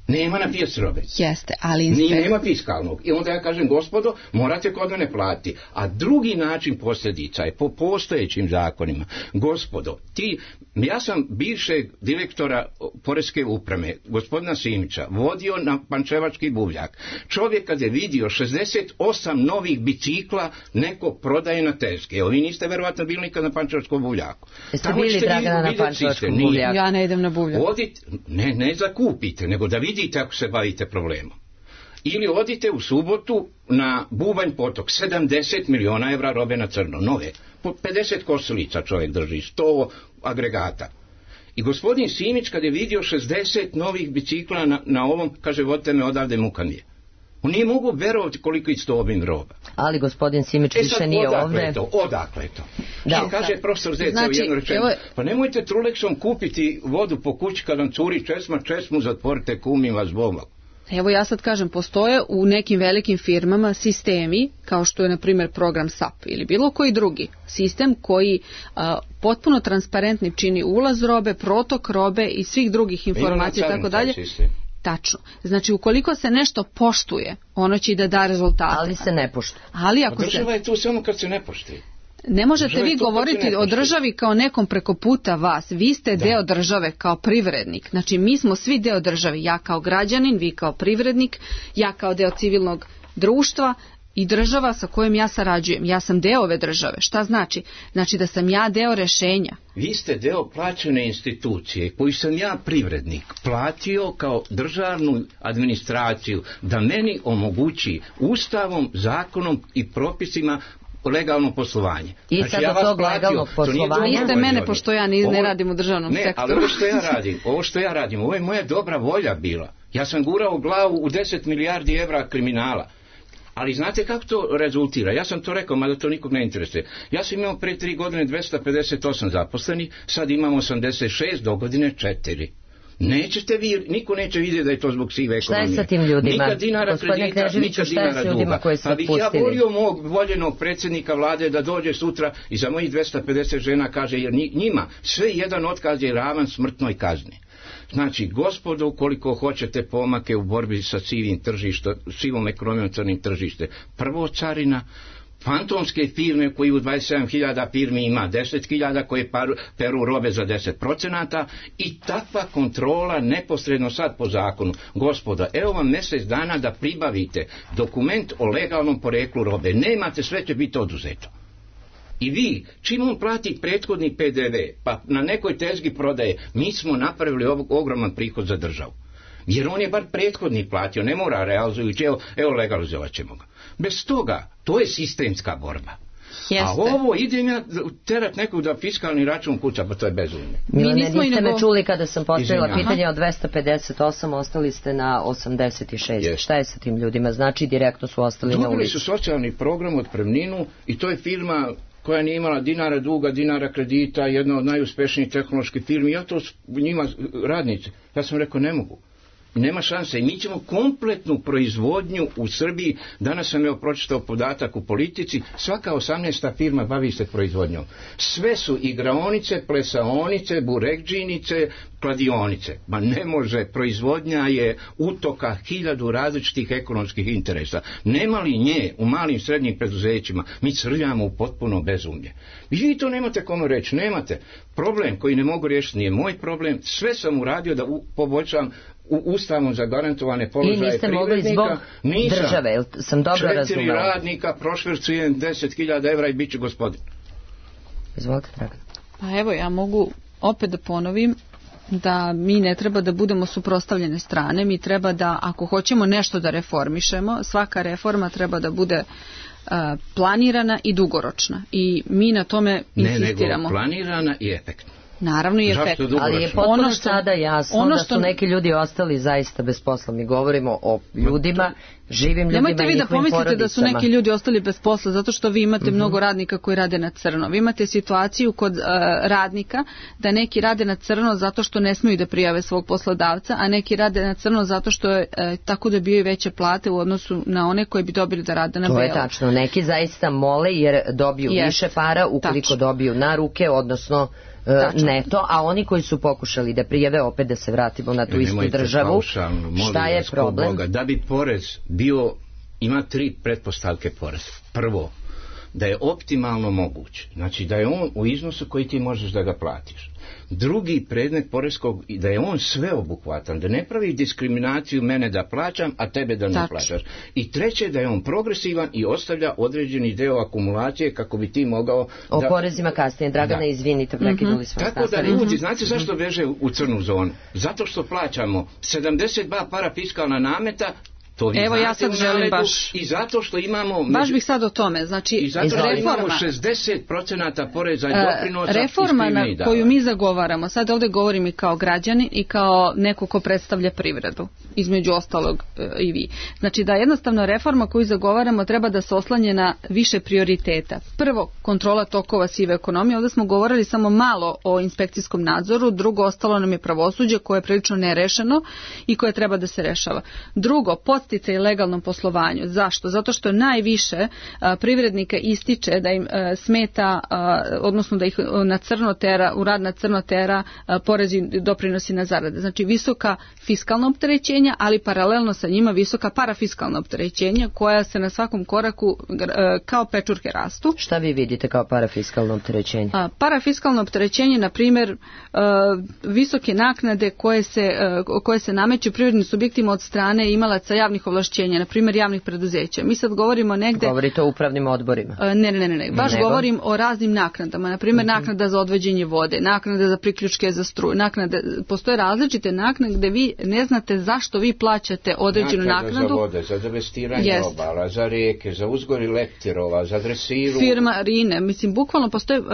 Nema na pijaci robe. Jeste, ali Ni nema fiskalnog. I onda ja kažem, gospodo, morate kod mene platiti. A drugi način posljedica je po postojećim zakonima. Gospodo, ti, ja sam bivšeg direktora Poreske uprave, gospodina Simića, vodio na Pančevački buvljak. Čovjek kad je vidio šezdeset osam novih bicikla, neko prodaje na Teske. Evo, vi niste verovatno bili nikad na Pančevačkom buvljaku. Jeste bili, Dragana, na Pančevačkom buvljaku? Ja ne idem na buvljak. Odite, ne, ne zakupite, nego da vidite ako se bavite problemom. Ili odite u subotu na Bubanj potok, sedamdeset miliona evra robe na crno, nove. Po pedeset kosilica čovjek drži, sto agregata. I gospodin Simić kad je vidio šezdeset novih bicikla na, na ovom, kaže, vodite me odavde, muka mi je. On nije mogu verovati koliko je to obim roba. Ali gospodin Simić više e nije odakle ovdje. Je to, odakle je to? Da. I kaže profesor Zeca znači, u jednu rečenu, evo... pa nemojte Trulexom kupiti vodu po kući kad vam curi česma, česmu zatvorite, kumi vas Bog. Evo ja sad kažem, postoje u nekim velikim firmama sistemi, kao što je na primjer program S A P ili bilo koji drugi sistem koji a, potpuno transparentni čini ulaz robe, protok robe i svih drugih informacija i tako dalje. Tačno. Znači, ukoliko se nešto poštuje, ono će i da da rezultate. Ali se ne poštuje. Ali ako A država se... je tu samo kad se ne poštuje. Ne možete vi govoriti o državi kao nekom preko puta vas. Vi ste da. deo države kao privrednik. Znači, mi smo svi deo države. Ja kao građanin, vi kao privrednik, ja kao deo civilnog društva i država sa kojom ja sarađujem. Ja sam deo ove države. Šta znači? Znači da sam ja deo rešenja. Vi ste deo plaćene institucije koju sam ja privrednik platio kao državnu administraciju da meni omogući ustavom, zakonom i propisima legalno poslovanje. I znači, sada ja tog legalnog poslovanja... Niste mene, pošto ja ni, ovo, ne radim u državnom ne, sektoru. Ne, ali ovo što ja radim, ovo što ja radim, ovo je moja dobra volja bila. Ja sam gurao glavu u deset milijardi evra kriminala. Ali znate kako to rezultira? Ja sam to rekao, mada to nikog ne interesuje. Ja sam imao pre tri godine dvesta pedeset osam zaposlenih, sad imamo osamdeset šest, do godine četiri. Nećete vi, niko neće vidjeti da je to zbog sive ekonomije. Šta je sa tim ljudima? Nikad dinara kredita, nikad dinara duga. Pa bih ja volio mog voljenog predsjednika vlade da dođe sutra i za mojih dvesta pedeset žena kaže, jer njima sve jedan otkaz je ravan smrtnoj kazni. Znači, gospodo, ukoliko hoćete pomake u borbi sa sivim tržištem, sivom ekonomijom, crnim tržište, prvo carina, fantomske firme koji u dvadeset sedam hiljada firmi ima deset hiljada koje paru, peru robe za deset procenata i takva kontrola neposredno sad po zakonu. Gospoda, evo vam mjesec dana da pribavite dokument o legalnom poreklu robe. Nemate, sve će biti oduzeto. I vi, čim on plati prethodni P D V, pa na nekoj tezgi prodaje, mi smo napravili ogroman prihod za državu. Jer on je bar prethodni platio, ne mora realizujući, evo, evo legalizovat ćemo ga. Bez toga, to je sistemska borba. Jeste. A ovo idem ja terat nekog da fiskalni račun kuća, pa to je bezumno. Milane, niste nego... me čuli kada sam postavila Izvinja. pitanje od dvesta pedeset osam, ostali ste na osamdeset šest. Yes. Šta je sa tim ljudima? Znači, direktno su ostali Dobili na ulici. Dobili su socijalni program od otpremninu i to je firma koja nije imala dinara duga, dinara kredita, jedna od najuspješnijih tehnoloških firmi. Ja to njima radnici. Ja sam rekao, ne mogu. Nema šanse. I mi ćemo kompletnu proizvodnju u Srbiji, danas sam joj pročitao podatak u Politici, svaka osamnaesta firma bavi se proizvodnjom. Sve su igraonice, plesaonice, burekdžinice, kladionice. Ma ne može, proizvodnja je utoka hiljadu različitih ekonomskih interesa. Nema li nje u malim srednjim preduzećima, mi crljamo u potpuno bezumlje. I vi to nemate kome reći, nemate. Problem koji ne mogu riješiti nije moj problem, sve sam uradio da u, poboljšam u ustavom zagarantovane položaje privrednika. I niste mogli zbog Nisam. države, sam dobro razumela. Četiri radnika, prošvercujem deset hiljada evra i bit će gospodin. Izvolite, Dragan. Pa evo, ja mogu opet da ponovim da mi ne treba da budemo suprotstavljene strane, mi treba da, ako hoćemo nešto da reformišemo, svaka reforma treba da bude uh, planirana i dugoročna. I mi na tome insistiramo. Ne, nego planirana i efektna. Naravno i efekt. Ali je potpuno ono što, sada jasno ono što, da su neki ljudi ostali zaista bez posla. Mi govorimo o ljudima, živim ljudima. Nemojte vi da pomislite da su neki ljudi ostali bez posla zato što vi imate mm-hmm. mnogo radnika koji rade na crno. Vi imate situaciju kod uh, radnika da neki rade na crno zato što ne smiju da prijave svog poslodavca, a neki rade na crno zato što je, uh, tako dobijaju veće plate u odnosu na one koji bi dobili da rade na belo. To je tačno. Neki zaista mole jer dobiju yes. više para ukoliko tačno. dobiju na ruke, odnosno Tačno. neto, a oni koji su pokušali da prijave, opet da se vratimo na tu istu državu, paušalno, šta je problem? Boga, da bi porez bio, ima tri pretpostavke porez. Prvo, da je optimalno moguće, znači da je on u iznosu koji ti možeš da ga platiš. Drugi predmet poreskog, da je on sveobuhvatan, da ne pravi diskriminaciju mene da plaćam, a tebe da ne Tačno. plaćaš. I treće, da je on progresivan i ostavlja određeni deo akumulacije kako bi ti mogao... O da... porezima kasnije, Dragana, da. izvinite, prekiduli mm-hmm. smo. Tako da ljudi, znate zašto beže u crnu zonu? Zato što plaćamo sedamdeset dva parafiskalan nameta, To vi Evo, ja znate sad u želim naledu baš- I zato što imamo... Baš među- bih sad o tome. Znači, I zato što imamo reforma, šezdeset procenata poreza i e, doprinosa reforma iz na privrednih koju davanja. mi zagovaramo, sad ovdje govorim i kao građanin i kao neko ko predstavlja privredu, između ostalog e, i vi. Znači da jednostavno reforma koju zagovaramo treba da se oslanje na više prioriteta. Prvo, kontrola tokova sive ekonomije. Ovdje smo govorili samo malo o inspekcijskom nadzoru, drugo, ostalo nam je pravosuđe koje je prilično nerešeno i koje treba da se rešava. Drugo, podsticaj legalnom poslovanju. Zašto? Zato što najviše a, privrednika ističe da im a, smeta, a, odnosno da ih na crno tera, u rad na crno tera a, porezi i doprinosi na zarade. Znači visoka fiskalna opterećenja, ali paralelno sa njima visoka parafiskalna opterećenja koja se na svakom koraku a, kao pečurke rastu. Šta vi vidite kao parafiskalno opterećenje? A, parafiskalno opterećenje, na primjer, a, visoke naknade koje se, a, koje se nameću privrednim subjektima od strane imalaca javnih ovlašćenja, na primjer javnih preduzeća. Mi sad govorimo negde... Govorite o upravnim odborima. A, Ne, ne, ne, ne. Baš Nego? govorim o raznim naknadama. Na primjer, Mhm. naknada za odvođenje vode, naknada za priključke za struju, naknade, postoje različite naknade gde vi ne znate zašto vi plaćate određenu Naknada naknadu. za vode, za devestiranje Jest. obala, za rijeke, za uzgori leptirova, za dresiru. Firma Rine, mislim, bukvalno postoje, uh,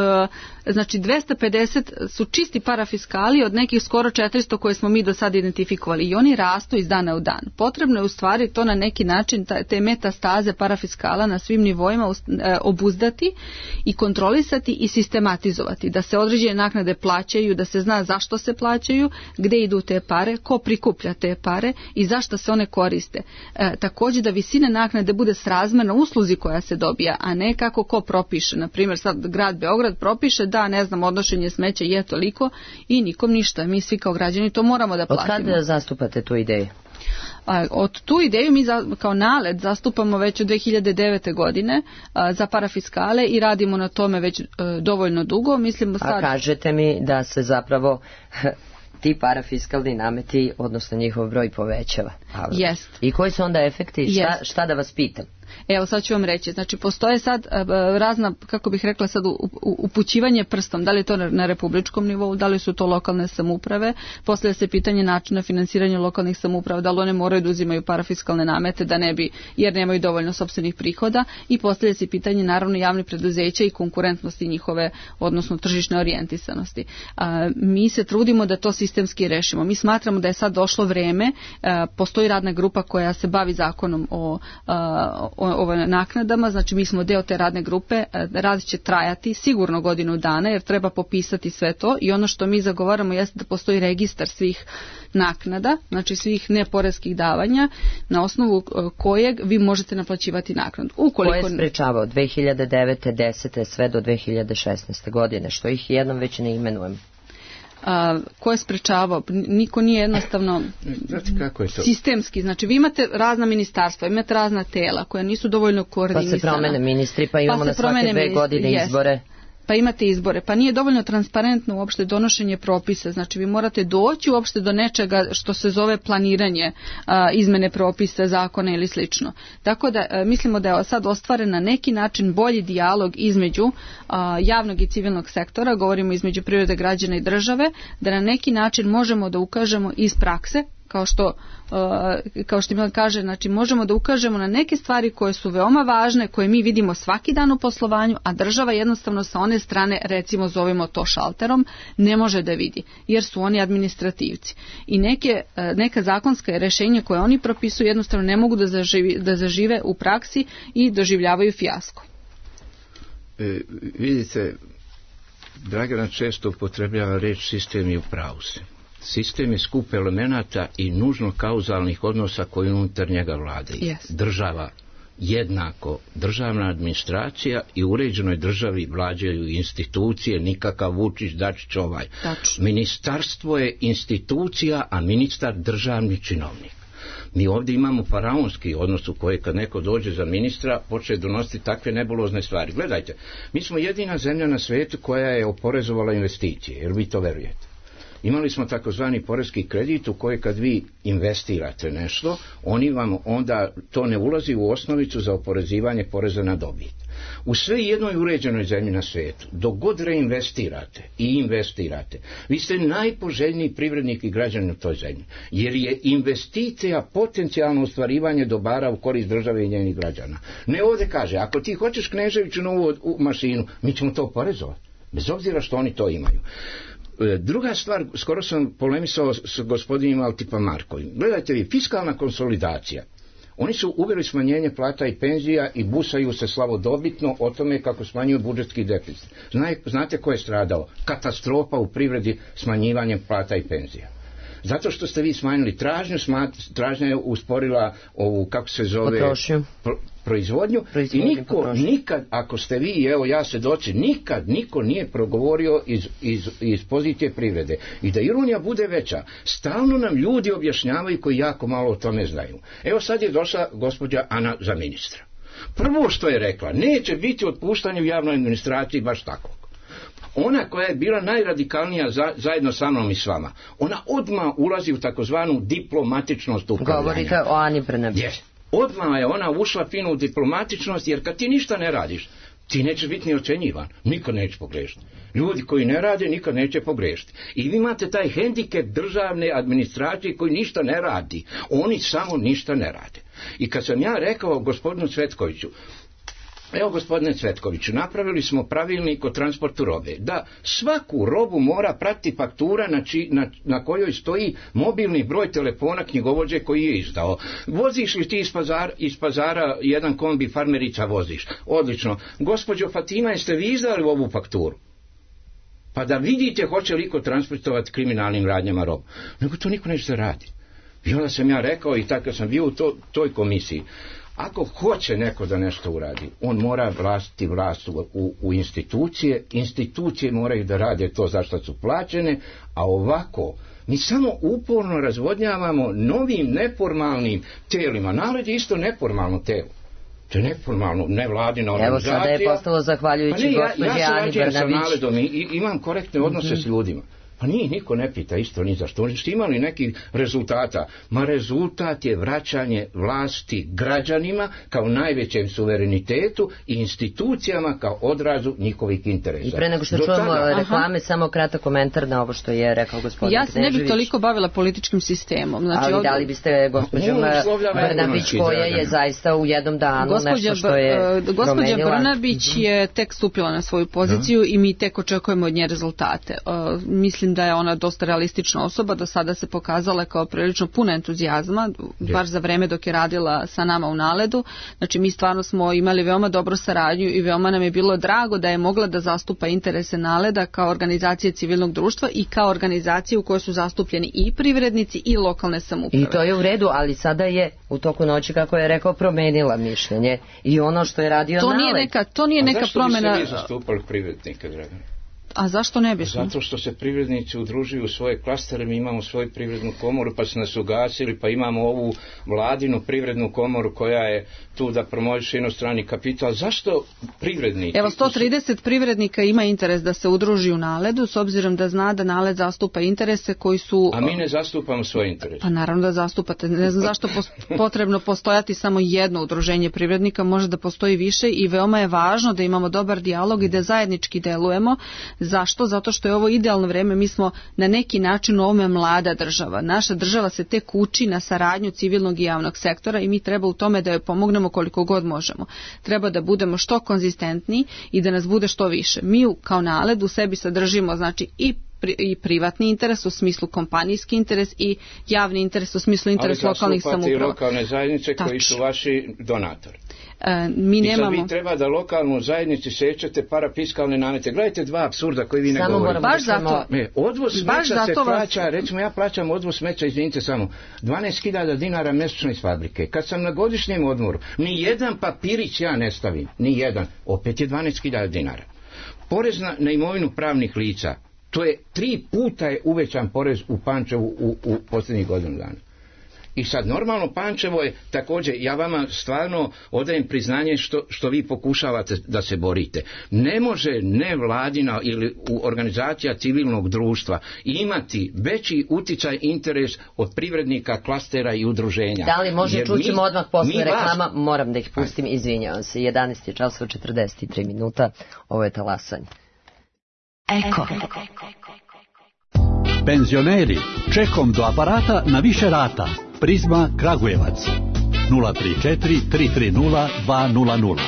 znači dvesta pedeset su čisti parafiskali od nekih skoro četiristo koje smo mi do sada identifikovali i oni rastu iz dana u dan. Potrebno je u stvari to na neki način, ta, te metastaze parafiskala na svim nivoima uh, obuzdati i kontrolisati i sistematizovati, da se određene naknade plaćaju, da se zna zašto se plaćaju, gde idu te pare, ko prikuplja te pare i zašto se one koriste. E, također da visina naknade bude srazmerna usluzi koja se dobija, a ne kako ko propiše. Na primjer, sad grad Beograd propiše da, ne znam, odnošenje smeća je toliko i nikom ništa. Mi svi kao građani to moramo da Od platimo. kada zastupate tu ideju? A, od tu ideju mi za, kao nalet zastupamo već od dve hiljade devete. godine a, za parafiskale i radimo na tome već a, dovoljno dugo. Mislim A sad... kažete mi da se zapravo ti parafiskalni nameti, odnosno njihov broj povećava. A, Jest. I koji su onda efekti? Šta, Jest. šta da vas pitam? Evo sad ću vam reći, znači postoje sad a, razna, kako bih rekla sad, u, u, upućivanje prstom, da li je to na, na republičkom nivou, da li su to lokalne samouprave, postavlja se pitanje načina finansiranja lokalnih samouprava, da li one moraju da uzimaju parafiskalne namete, da ne bi, jer nemaju dovoljno sopstvenih prihoda, i postavlja se pitanje naravno javnih preduzeća i konkurentnosti njihove, odnosno tržišne orijentisanosti. A, mi se trudimo da to sistemski rešimo. Mi smatramo da je sad došlo vreme, a, postoji radna grupa koja se bavi zakonom o, a, o o naknadama, znači mi smo deo te radne grupe, rad će trajati sigurno godinu dana jer treba popisati sve to i ono što mi zagovaramo jeste da postoji registar svih naknada, znači svih neporeskih davanja na osnovu kojeg vi možete naplaćivati naknadu. Ukoliko... Ko je sprečavao dve hiljade devete. desete. sve do dve hiljade šesnaeste. godine, što ih jednom već ne imenujem? A, ko je sprečavao? Niko nije jednostavno Znate kako je to? sistemski. Znači vi imate razna ministarstva, imate razna tela koja nisu dovoljno Pa koordinisana. se promene ministri, pa imamo Pa se na svake promene dve ministri, godine jest. izbore. Pa imate izbore, pa nije dovoljno transparentno uopšte donošenje propisa, znači vi morate doći uopšte do nečega što se zove planiranje a, izmene propisa, zakona ili slično. Tako da a, mislimo da je sad ostvaren na neki način bolji dijalog između a, javnog i civilnog sektora, govorimo između privrede, građana i države, da na neki način možemo da ukažemo iz prakse, kao što, uh, kao što Milan kaže, znači možemo da ukažemo na neke stvari koje su veoma važne, koje mi vidimo svaki dan u poslovanju, a država jednostavno sa one strane, recimo zovemo to šalterom, ne može da vidi, jer su oni administrativci. I neke, uh, neka zakonska rešenja koje oni propisuju jednostavno ne mogu da, zaživi, da zažive u praksi i doživljavaju fijasko. E, vidite, Dragana često upotrebljava reč sistem i u pravu se. Sistem je skup elemenata i nužno kauzalnih odnosa koji unutar njega vladaju. Yes. Država jednako, državna administracija i u uređenoj državi vlađaju institucije, nikakav Vučić, Dačić, ovaj. Tačno. Ministarstvo je institucija, a ministar državni činovnik. Mi ovdje imamo faraonski odnos u koje kad neko dođe za ministra počne donositi takve nebulozne stvari. Gledajte, mi smo jedina zemlja na svijetu koja je oporezovala investicije, jer vi to verujete. Imali smo takozvani poreski kredit u koji kad vi investirate nešto, oni vam onda, to ne ulazi u osnovicu za oporezivanje poreza na dobit. U sve jednoj uređenoj zemlji na svijetu, dok god reinvestirate i investirate, vi ste najpoželjniji privrednik i građanin u toj zemlji, jer je investicija potencijalno ostvarivanje dobara u korist države i njenih građana. Ne ovdje kaže, ako ti hoćeš Kneževiću novu mašinu, mi ćemo to oporezovati, bez obzira što oni to imaju. Druga stvar, skoro sam polemisao s gospodinom Altipa Markovim. Gledajte vi, fiskalna konsolidacija. Oni su uveli smanjenje plata i penzija i busaju se slavodobitno o tome kako smanjuju budžetski deficit. Znate ko je stradao? Katastrofa u privredi smanjivanjem plata i penzija. Zato što ste vi smanjili tražnju, tražnja je usporila ovu, kako se zove, pro, proizvodnju, i niko potrošnju. Nikad, ako ste vi, evo ja svedoci, nikad niko nije progovorio iz, iz, iz pozicije privrede. I da ironija bude veća, stalno nam ljudi objašnjavaju koji jako malo o tome znaju. Evo sad je došla gospođa Ana za ministra. Prvo što je rekla, neće biti otpuštanje u javnoj administraciji baš tako. Ona koja je bila najradikalnija za, zajedno sa mnom i s vama, ona odmah ulazi u takozvanu diplomatičnost upravljanja. Govorite o Ani Brnabić. Yes. Odmah je ona ušla fino u diplomatičnost, jer kad ti ništa ne radiš, ti nećeš biti ni ocenjivan, nikad neće pogrešiti. Ljudi koji ne rade nikad neće pogrešiti. I vi imate taj hendikep državne administracije koji ništa ne radi. Oni samo ništa ne rade. I kad sam ja rekao gospodinu Cvetkoviću, evo gospodine Cvetkoviću, napravili smo pravilnik o transportu robe, da svaku robu mora pratiti faktura na, či, na, na kojoj stoji mobilni broj telefona knjigovođe koji je izdao. Voziš li ti iz pazara, iz pazara jedan kombi farmerica voziš? Odlično. Gospođo Fatima, jeste vi izdali ovu fakturu? Pa da vidite hoće li ko transportovati kriminalnim radnjama robu. Nego to niko neće radi. I onda sam ja rekao, i tako sam bio u to, toj komisiji, ako hoće neko da nešto uradi, on mora vlastiti vlast u, u, u institucije, institucije moraju da rade to za što su plaćene, a ovako mi samo uporno razvodnjavamo novim neformalnim telima. Naled je isto neformalno telo. To je neformalno, nevladina organizacija. Evo sada je postalo zahvaljujući pa gospođi ja, Ani ja Brnabić. sa naledom i, i imam korektne odnose mm-hmm. s ljudima. Pa nije, niko ne pita isto ni zašto. Oni su imali nekih rezultata. Ma rezultat je vraćanje vlasti građanima kao najvećem suverenitetu i institucijama kao odrazu njihovih interesa. I pre nego što čujemo reklame, aha, samo kratak komentar na ovo što je rekao gospodin Ja se ne bih toliko bavila političkim sistemom. Znači, ali ovdje... da li biste gospođom Brnabić koja je zaista u jednom danu gospođa, nešto što je gospođa promenila. Brnabić je tek stupila na svoju poziciju, da, i mi tek očekujemo od nje rezultate. Uh, mislim da je ona dosta realistična osoba, do sada se pokazala kao prilično puna entuzijazma, baš za vreme dok je radila sa nama u Naledu. Znači mi stvarno smo imali veoma dobru saradnju i veoma nam je bilo drago da je mogla da zastupa interese Naleda kao organizacije civilnog društva i kao organizacije u kojoj su zastupljeni i privrednici i lokalne samouprave. I to je u redu, ali sada je u toku noći, kako je rekao, promenila mišljenje i ono što je radio to Naled. Nije neka, to nije neka promjena. A zašto biste vi zastupali privrednike, Dragan? A zašto ne bismo? Zato što se privrednici udružuju u svoje klastere, mi imamo svoju privrednu komoru, pa se nas ugasili, pa imamo ovu vladinu privrednu komoru koja je tu da promoviše inostrani kapital. Zašto privrednici? Evo, sto trideset privrednika ima interes da se udruži u Naledu, s obzirom da zna da Naled zastupa interese koji su... A mi ne zastupamo svoje interese. Pa naravno da zastupate. Ne znam zašto potrebno postojati samo jedno udruženje privrednika, može da postoji više i veoma je važno da imamo dobar dijalog i da zajednički delujemo. Zašto? Zato što je ovo idealno vreme, mi smo na neki način u ovome mlada država. Naša država se tek uči na saradnju civilnog i javnog sektora i mi treba u tome da joj pomognemo koliko god možemo. Treba da budemo što konzistentniji i da nas bude što više. Mi kao Naled u sebi sadržimo znači i i privatni interes u smislu kompanijski interes i javni interes u smislu interes lokalnih samouprava. Ali zastupate i lokalne zajednice Tač. koji su vaši donatori. E, mi nemamo... I sad vi treba da lokalnu zajednici sećate parafiskalne namete. Gledajte dva apsurda koji vi ne samo govorite. Baš zato. Ne, odvoz smeća se plaća, vas... recimo ja plaćam odvoz smeća, izvinite samo, dvanaest hiljada dinara mjesečno iz fabrike. Kad sam na godišnjem odmoru, ni jedan papirić ja ne stavim, ni jedan, opet je dvanaest hiljada dinara. Porez na, na imovinu pravnih lica, to je tri puta je uvećan porez u Pančevu u, u posljednjih godinu dana. I sad normalno Pančevo je također, ja vama stvarno odajem priznanje što, što vi pokušavate da se borite. Ne može nevladina ili organizacija civilnog društva imati veći uticaj interes od privrednika, klastera i udruženja. Da li može, čućemo odmah posle reklama, vas... moram da ih pustim, izvinjavam se, jedanaest je časova četrdeset tri minuta, ovo je talasanje. Eko. Penzioneri, čekom do aparata na više rata. Prizma Kragujevac nula tri četiri tri tri nula dva nula nula.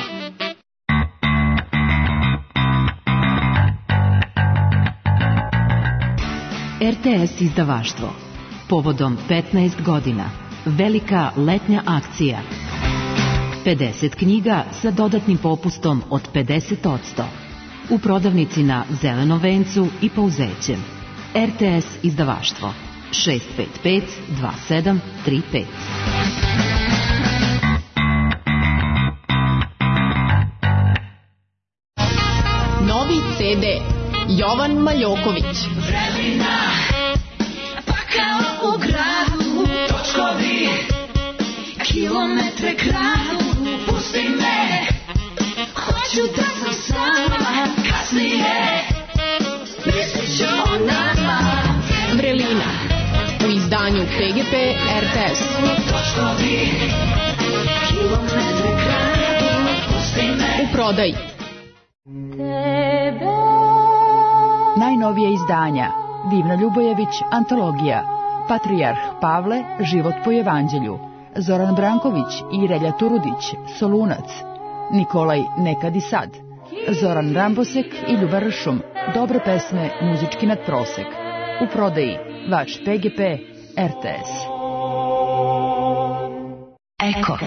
R T S izdavaštvo. Povodom petnaest godina. Velika letnja akcija. pedeset knjiga sa dodatnim popustom od pedeset posto. U prodavnici na Zelenom vencu i Pouzećem. R T S izdavaštvo. šest pet pet dva sedam tri pet. Novi C D Jovan Maljoković. Vremena, pa kao u gradu, točkovi, kilometre kradu, pusti me, hoću da sam sama, kasnije, mislit ću o nama. Vrelina, u izdanju P G P R T S. Točkovi, kilometre kradu, pusti me. U prodaji. Najnovije izdanja Divna Ljubojević, antologija, Patrijarh Pavle, život po evanđelju, Zoran Branković i Relja Turudić, Solunac, Nikolaj Nekad i sad, Zoran Rambosek i Ljuba Ršum, dobre pesme, muzički nadprosek. U prodaji vaš P G P R T S. Eko.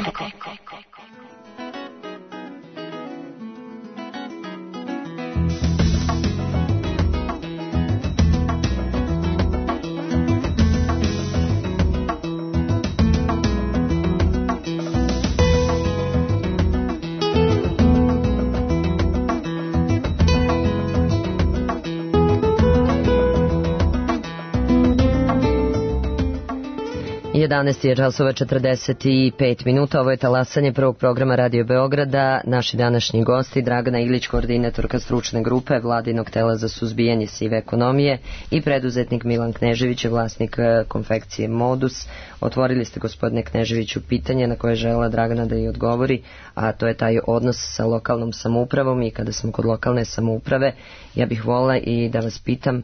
jedanaest je časova četrdeset pet minuta, ovo je talasanje prvog programa Radio Beograda. Naši današnji gosti, Dragana Ilić, koordinatorka stručne grupe Vladinog tela za suzbijanje sive ekonomije, i preduzetnik Milan Knežević, vlasnik konfekcije Modus. Otvorili ste, gospodine Kneževiću, pitanje na koje je želela Dragana da i odgovori, a to je taj odnos sa lokalnom samoupravom. I kada smo kod lokalne samouprave, ja bih volila i da vas pitam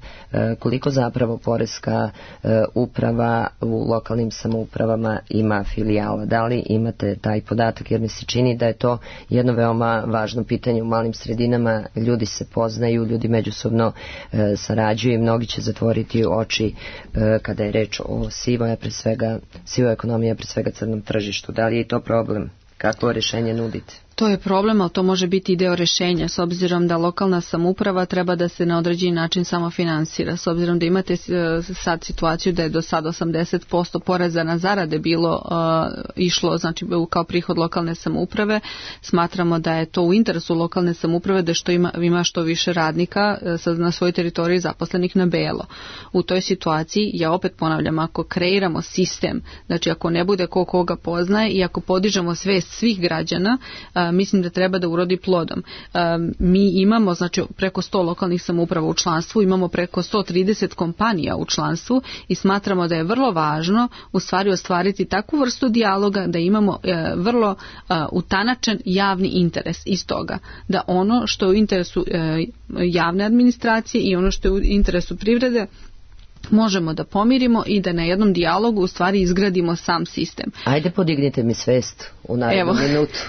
koliko zapravo poreska uprava u lokalnim samoupravama ima filijala. Da li imate taj podatak, jer mi se čini da je to jedno veoma važno pitanje u malim sredinama. Ljudi se poznaju, ljudi međusobno e, sarađuju i mnogi će zatvoriti oči e, kada je reč o sivoj, pre svega sivoj ekonomiji, pre svega crnom tržištu. Da li je to problem? Kakvo rješenje nudite? To je problem, ali to može biti i deo rješenja, s obzirom da lokalna samouprava treba da se na određeni način samo finansira. S obzirom da imate sad situaciju da je do sad osamdeset posto poreza na zarade bilo uh, išlo, znači kao prihod lokalne samouprave, smatramo da je to u interesu lokalne samouprave da što ima, ima što više radnika uh, na svojoj teritoriji zaposlenih na belo. U toj situaciji, ja opet ponavljam, ako kreiramo sistem, znači ako ne bude ko koga poznaje i ako podižemo svest svih građana, uh, mislim da treba da urodi plodom. Mi imamo znači preko sto lokalnih samouprava u članstvu, imamo preko sto trideset kompanija u članstvu i smatramo da je vrlo važno u stvari ostvariti takvu vrstu dijaloga da imamo vrlo utanačen javni interes iz toga. Da ono što je u interesu javne administracije i ono što je u interesu privrede možemo da pomirimo i da na jednom dijalogu u stvari izgradimo sam sistem. Ajde, podignite mi svest u narednu minutu.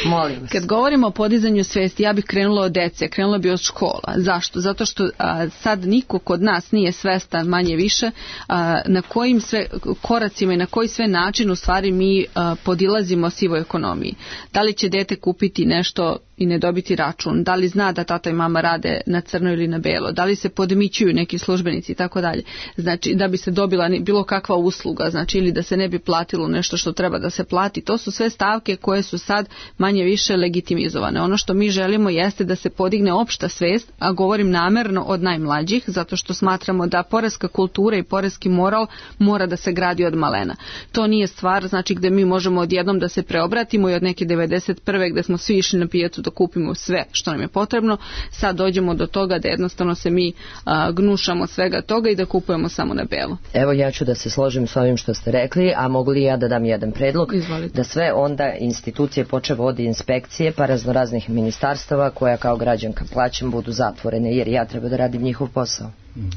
Molim vas. Kad govorimo o podizanju svesti, ja bih krenula od dece, krenula bih od škola. Zašto? Zato što a, sad niko kod nas nije svestan manje više a, na kojim sve koracima i na koji sve način u stvari mi a, podilazimo sivoj ekonomiji. Da li će dete kupiti nešto i ne dobiti račun, da li zna da tata i mama rade na crno ili na belo, da li se podmićuju neki službenici i tako dalje. Znači da bi se dobila bilo kakva usluga, znači ili da se ne bi platilo nešto što treba da se plati. To su sve stavke koje su sad manje više legitimizovane. Ono što mi želimo jeste da se podigne opšta svest, a govorim namerno od najmlađih, zato što smatramo da poreska kultura i poreski moral mora da se gradi od malena. To nije stvar znači gde mi možemo odjednom da se preobratimo i od neke devedeset prve gde smo svi išli na pijacu da kupimo sve što nam je potrebno, sad dođemo do toga da jednostavno se mi a, gnušamo svega toga i da kupujemo samo na belo. Evo ja ću da se složim s ovim što ste rekli, a mogu li ja da dam jedan predlog? Izvolite. Da sve onda institucije počev od inspekcije pa raznoraznih ministarstava koja kao građanka plaćam budu zatvorene jer ja treba da radim njihov posao. Mm.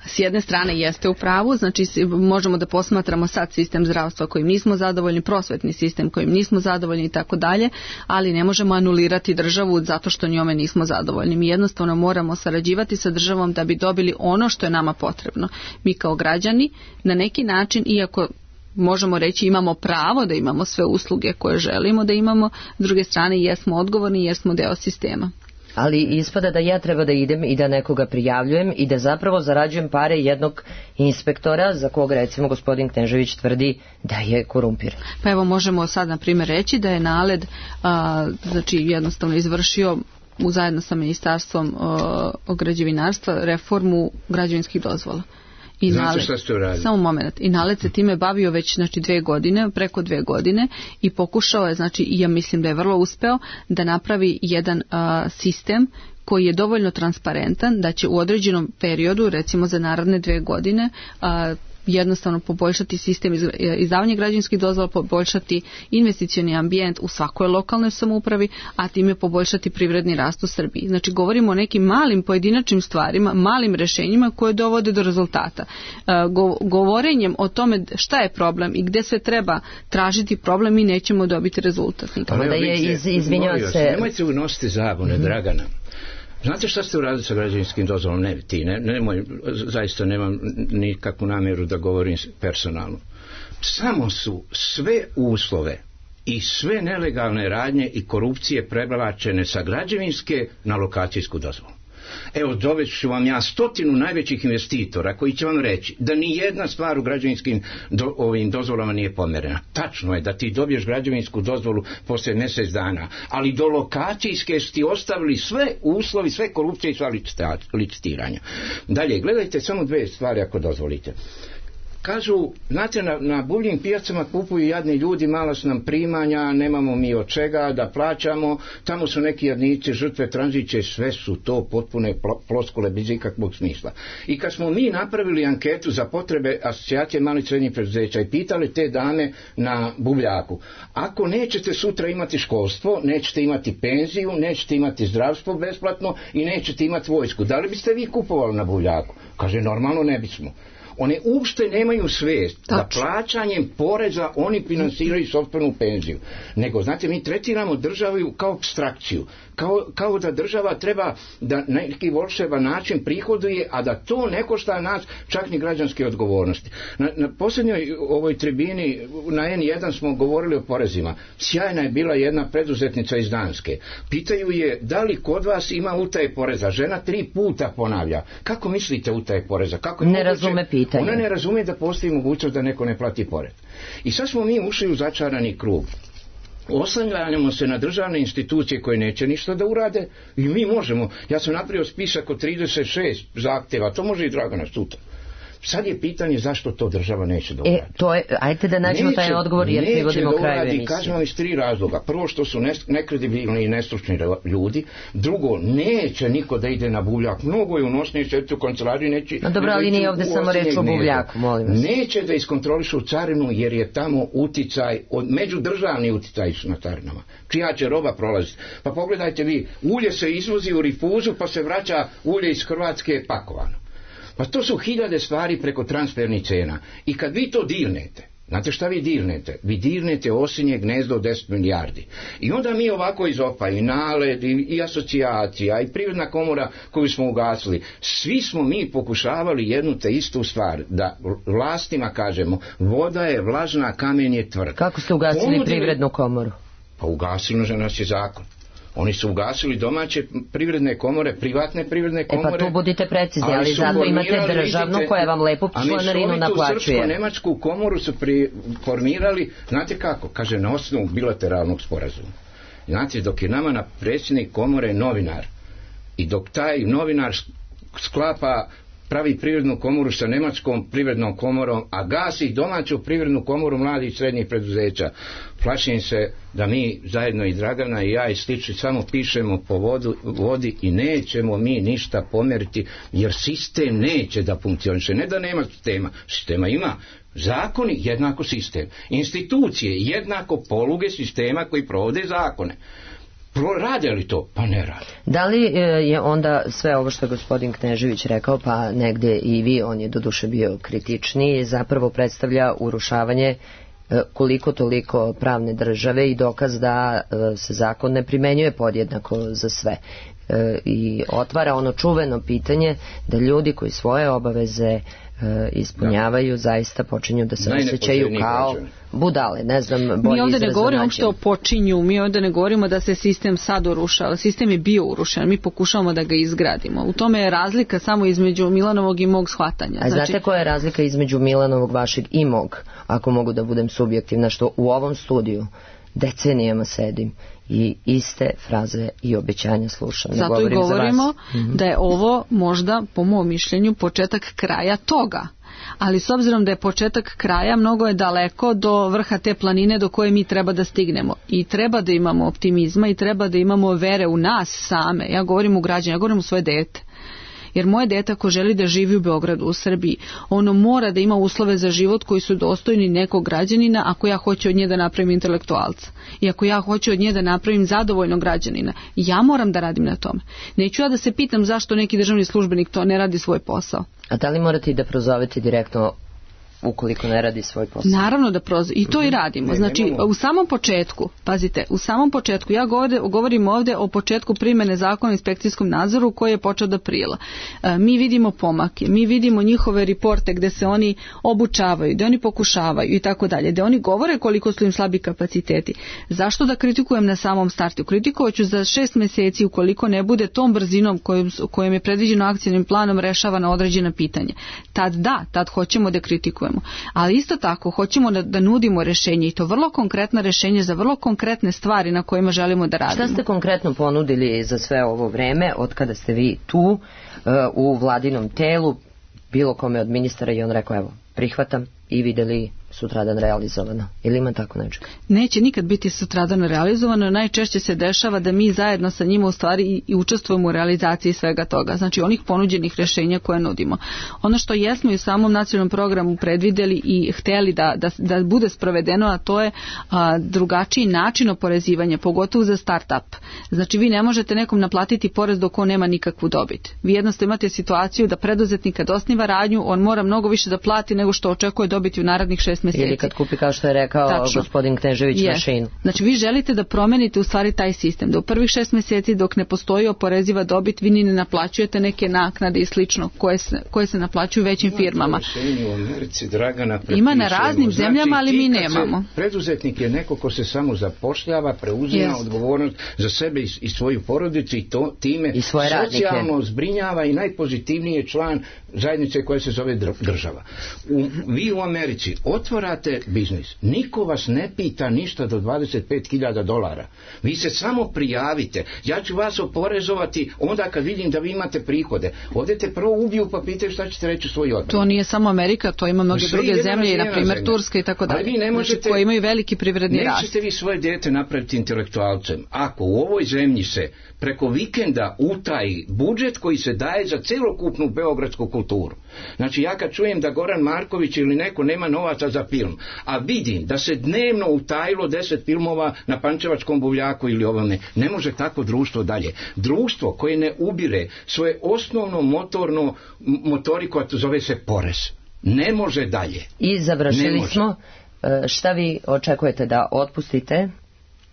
S jedne strane jeste u pravu, znači možemo da posmatramo sad sistem zdravstva kojim nismo zadovoljni, prosvetni sistem kojim nismo zadovoljni i tako dalje, ali ne možemo anulirati državu zato što njome nismo zadovoljni. Mi jednostavno moramo sarađivati sa državom da bi dobili ono što je nama potrebno. Mi kao građani na neki način, iako možemo reći imamo pravo da imamo sve usluge koje želimo da imamo, s druge strane jesmo odgovorni jer smo deo sistema. Ali ispada da ja treba da idem i da nekoga prijavljujem i da zapravo zarađujem pare jednog inspektora za koga recimo gospodin Knežević tvrdi da je korumpiran. Pa evo možemo sad na primjer reći da je NALED a, znači jednostavno izvršio u zajedno sa ministarstvom a, građevinarstva reformu građevinskih dozvola. I Znate NALED, šta ste uradili? Samo moment. I NALED se time bavio već znači dve godine, preko dve godine i pokušao je, znači i ja mislim da je vrlo uspeo da napravi jedan a, sistem koji je dovoljno transparentan da će u određenom periodu, recimo za naredne dve godine, a, jednostavno poboljšati sistem izdavanja građevinskih dozvola, poboljšati investicioni ambijent u svakoj lokalnoj samoupravi, a time poboljšati privredni rast u Srbiji. Znači govorimo o nekim malim pojedinačnim stvarima, malim rešenjima koje dovode do rezultata. Go, govorenjem o tome šta je problem i gde se treba tražiti problem, mi nećemo dobiti rezultat. Ali da je iz, izvinjava se... Nemojte unositi zabune, mm-hmm. Dragana. Znate šta ste uradili sa građevinskim dozvolom? Ne, ti, ne, nemoj, zaista nemam nikakvu namjeru da govorim personalno. Samo su sve uslove i sve nelegalne radnje i korupcije prebalačene sa građevinske na lokacijsku dozvolu. Evo, doveću vam ja stotinu najvećih investitora koji će vam reći da ni jedna stvar u građevinskim do, ovim dozvolama nije pomerena. Tačno je da ti dobiješ građevinsku dozvolu poslije mjesec dana, ali do lokacijske su ti ostavili sve uslovi, sve korupcije i sva licitiranja. Dalje, gledajte samo dve stvari ako dozvolite. Kažu, znate, na, na buvljim pijacama kupuju jadni ljudi, malo su nam primanja, nemamo mi od čega da plaćamo, tamo su neki jadnici, žrtve tranzicije, sve su to potpune ploskule bez ikakvog smisla. I kad smo mi napravili anketu za potrebe asocijacije malih srednjih preduzeća i pitali te dame na buvljaku, ako nećete sutra imati školstvo, nećete imati penziju, nećete imati zdravstvo besplatno i nećete imati vojsku, da li biste vi kupovali na buvljaku? Kaže, normalno ne bismo. One uopšte nemaju svijest da plaćanjem poreza oni finansiraju sopstvenu penziju. Nego, znate, mi tretiramo državu kao apstrakciju. Kao, kao da država treba da na neki volševan način prihoduje, a da to ne košta nas čak ni građanske odgovornosti. Na, na posljednjoj ovoj tribini na en jedan smo govorili o porezima. Sjajna je bila jedna preduzetnica iz Danske. Pitaju je da li kod vas ima utaje poreza. Žena tri puta ponavlja. Kako mislite utaje poreza? Kako ne razume pitanje. Ona ne razume da postoji mogućnost da neko ne plati porez. I sad smo mi ušli u začarani krug. Oslanjamo se na državne institucije koje neće ništa da urade i mi možemo. Ja sam napravio spisak od trideset šest zahtjeva, to može i Dragana sutra. Sad je pitanje zašto to država neće da uradi. E, to je, ajte da nađemo neće, taj odgovor jer privodimo kraju emisije. Kažem vam iz tri razloga. Prvo što su nekredibilni i nestručni ljudi. Drugo, neće niko da ide na buvljak. Mnogo je unosnije šeti u kancelariji. Neće, no dobro, ali nije ovdje samo reč o buvljaku, molim vas. Neće da iskontrolišu carinu jer je tamo uticaj, od, međudržavni uticaj na carinama. Čija će roba prolaziti. Pa pogledajte vi, ulje se izvozi u rifuzu pa se vraća ulje iz Hrvatske pakovano. Pa to su hiljade stvari preko transfernih cena. I kad vi to dirnete, znate šta vi dirnete? Vi dirnete osinje gnezdo od deset milijardi. I onda mi ovako iz opa i NALED i, i asocijacija i privredna komora koju smo ugasili, svi smo mi pokušavali jednu te istu stvar, da vlastima kažemo, voda je vlažna, kamen je tvrd. Kako ste ugasili Ponudili... privrednu komoru? Pa ugasili za nas je zakon. Oni su ugasili domaće privredne komore, privatne privredne komore. E pa tu budite precizni, ali, ali zato imate državnu vidite, koja vam lepo članarinu naplaćuje. A Srpsko-Nemačku komoru su pri, formirali, znate kako, kaže, na osnovu bilateralnog sporazuma. Znate, dok je nama na predsjednik komore novinar i dok taj novinar sklapa, pravi privrednu komoru sa nemačkom privrednom komorom, a gasi domaću privrednu komoru mladih i srednjih preduzeća, plašim se da mi zajedno i Dragana i ja i slični samo pišemo po vodu, vodi i nećemo mi ništa pomeriti, jer sistem neće da funkcioniše. Ne da nema sistema, sistema ima. Zakoni jednako sistem. Institucije jednako poluge sistema koji provode zakone. Rade li to? Pa ne rade. Da li je onda sve ovo što je gospodin Knežević rekao, pa negdje i vi, on je doduše bio kritičniji, zapravo predstavlja urušavanje koliko toliko pravne države i dokaz da se zakon ne primenjuje podjednako za sve. I otvara ono čuveno pitanje da ljudi koji svoje obaveze ispunjavaju, da, zaista počinju da se osjećaju kao budale, ne znam, bolji izraz. Mi ovdje ne govorimo uopšte o počinju, mi ovdje ne govorimo da se sistem sad urušava, sistem je bio urušen, mi pokušavamo da ga izgradimo. U tome je razlika samo između Milanovog i mog shvatanja. A znači, znate koja je razlika između Milanovog, vašeg i mog, ako mogu da budem subjektivna, što u ovom studiju decenijama sedim i iste fraze i obećanja slušam. Zato i govorimo da je ovo možda, po mom mišljenju, početak kraja toga. Ali s obzirom da je početak kraja, mnogo je daleko do vrha te planine do koje mi treba da stignemo. I treba da imamo optimizma i treba da imamo vere u nas same. Ja govorim u građane, ja govorim u svoje dete. Jer moje dete ako želi da živi u Beogradu, u Srbiji, ono mora da ima uslove za život koji su dostojni nekog građanina ako ja hoću od nje da napravim intelektualca. I ako ja hoću od nje da napravim zadovoljnog građanina. Ja moram da radim na tome. Neću ja da se pitam zašto neki državni službenik to ne radi svoj posao. A da li morate i da prozovete direktno ukoliko ne radi svoj posao? Naravno da prozove. I to i radimo. Znači, u samom početku, pazite, u samom početku, ja govorim ovdje o početku primjene zakona o inspekcijskom nadzoru koji je počeo od aprila. E, mi vidimo pomake, mi vidimo njihove reporte gdje se oni obučavaju, gdje oni pokušavaju i tako dalje, gdje oni govore koliko su im slabi kapaciteti. Zašto da kritikujem na samom startu? Kritikovat ću za šest mjeseci ukoliko ne bude tom brzinom kojom, kojom je predviđeno akcijnim planom rešavana određena pitanja. Tad da, tad hoćemo da kritikujemo. Ali isto tako hoćemo da, da nudimo rješenje i to vrlo konkretna rješenje za vrlo konkretne stvari na kojima želimo da radimo. Šta ste konkretno ponudili za sve ovo vreme od kada ste vi tu uh, u vladinom telu, bilo kome od ministara i on rekao evo prihvatam i vidjeli sutradan realizovano? Ili ima tako nečega? Neće nikad biti sutradan realizovano, najčešće se dešava da mi zajedno sa njima u stvari i, i učestvujemo u realizaciji svega toga, znači onih ponuđenih rješenja koje nudimo. Ono što jesmo i u samom nacionalnom programu predvidjeli i htjeli da, da, da bude sprovedeno, a to je a, drugačiji način oporezivanja, pogotovo za start-up. Znači vi ne možete nekom naplatiti porez dok on nema nikakvu dobit. Vi jednostavno imate situaciju da preduzetnik kad osniva radnju, on mora mnogo više da plati nego što očekuje dobiti u narednih šest mjeseci. Ili kad kupi, kao što je rekao Tačno. gospodin Knežević, yes. mašinu. Znači vi želite da promenite u stvari taj sistem. Da u prvih šest mjeseci dok ne postoji oporeziva dobit, vi ni ne naplaćujete neke naknade i slično koje se, koje se naplaćuju većim firmama. U Americi, Dragana, ima na raznim znači, zemljama, ali mi nemamo. Preduzetnik je neko ko se samo zapošljava, preuzima yes. odgovornost za sebe i, i svoju porodicu i to time I svoje socijalno radnike. zbrinjava i najpozitivniji je član zajednice koja se zove država. U, vi u Americi otvarate biznis. Niko vas ne pita ništa do dvadeset pet hiljada dolara. Vi se samo prijavite. Ja ću vas oporezovati onda kad vidim da vi imate prihode. Odete prvo ubiju pa pitaju šta ćete reći u svoj odbrani. To nije samo Amerika, to ima mnoge druge zemlje, na primjer Turska i tako dalje. Ali vi ne možete, znači, koji imaju veliki privredni rast. Nećete vi svoje dijete napraviti intelektualcem. Ako u ovoj zemlji se preko vikenda utaji budžet koji se daje za celokupnu beogradsku kulturu. Znači ja kad čujem da Goran Marković ili neko nema novaca za film, a vidim da se dnevno utajilo deset filmova na Pančevačkom buvljaku ili ovome, ne može tako društvo dalje. Društvo koje ne ubire svoje osnovno motorno motoriku, a to zove se porez, ne može dalje. I završili smo. Šta vi očekujete da otpustite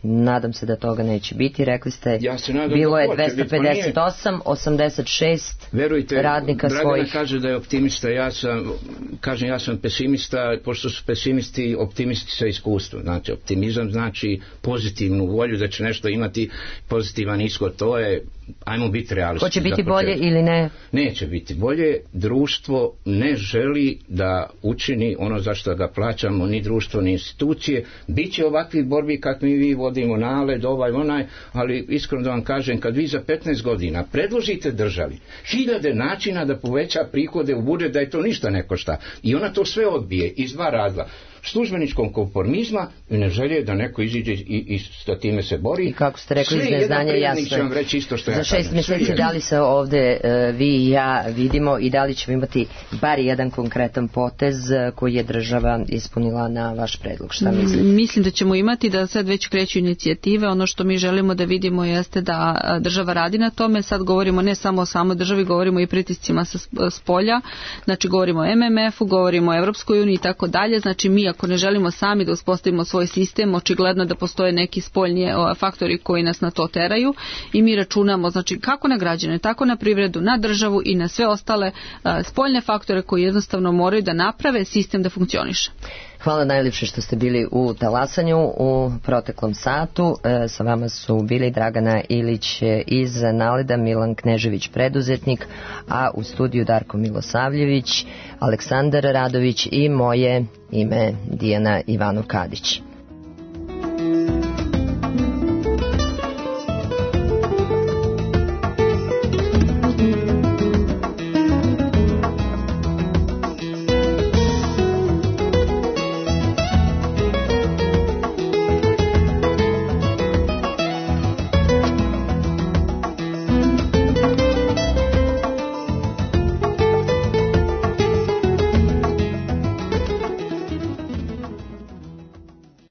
Nadam se da toga neće biti. Rekli ste, ja se nadam bilo da je hoće dvesta pedeset osam, osamdeset šest Verujte, radnika Dragana svojih. kaže da je optimista, ja sam, kažem ja sam pesimista, pošto su pesimisti, optimisti sa iskustvom. Znači, optimizam znači pozitivnu volju da će nešto imati pozitivan ishod. To je, ajmo biti realisti. Hoće biti bolje ili ne? Neće biti bolje. Društvo ne želi da učini ono za što ga plaćamo, ni društvo, ni institucije. Biće ovakvih borbi kad mi vi vodimo naled, ovaj, onaj, ali iskreno da vam kažem, kad vi za petnaest godina predložite državi hiljade načina da poveća prihode u budžet, da je to ništa ne košta, i ona to sve odbije iz dva razloga: službeničkom konformizma i ne želje da neko iziđe i, i sa time se bori. I kako ste rekli, iz neznanja jasno. Za ja šest mjeseci da li se ovde uh, vi i ja vidimo i da li ćemo imati bar jedan konkretan potez uh, koji je država ispunila na vaš predlog? Šta mislite? Mislim da ćemo imati, da sad već kreću inicijative. Ono što mi želimo da vidimo jeste da država radi na tome. Sad govorimo ne samo o samoj državi, govorimo i pritiscima sa spolja. Znači govorimo o M M F-u, govorimo o Evropskoj uniji i tako dalje. Znači mi ako ne želimo sami da uspostavimo svoj sistem, očigledno da postoje neki spoljni faktori koji nas na to teraju i mi računamo, znači kako na građane, tako na privredu, na državu i na sve ostale spoljne faktore koji jednostavno moraju da naprave sistem da funkcioniše. Hvala najljepše što ste bili u Talasanju u proteklom satu. E, sa vama su bili Dragana Ilić iz Naleda, Milan Knežević preduzetnik, a u studiju Darko Milosavljević, Aleksandar Radović i moje ime Dijana Ivanov Kadić.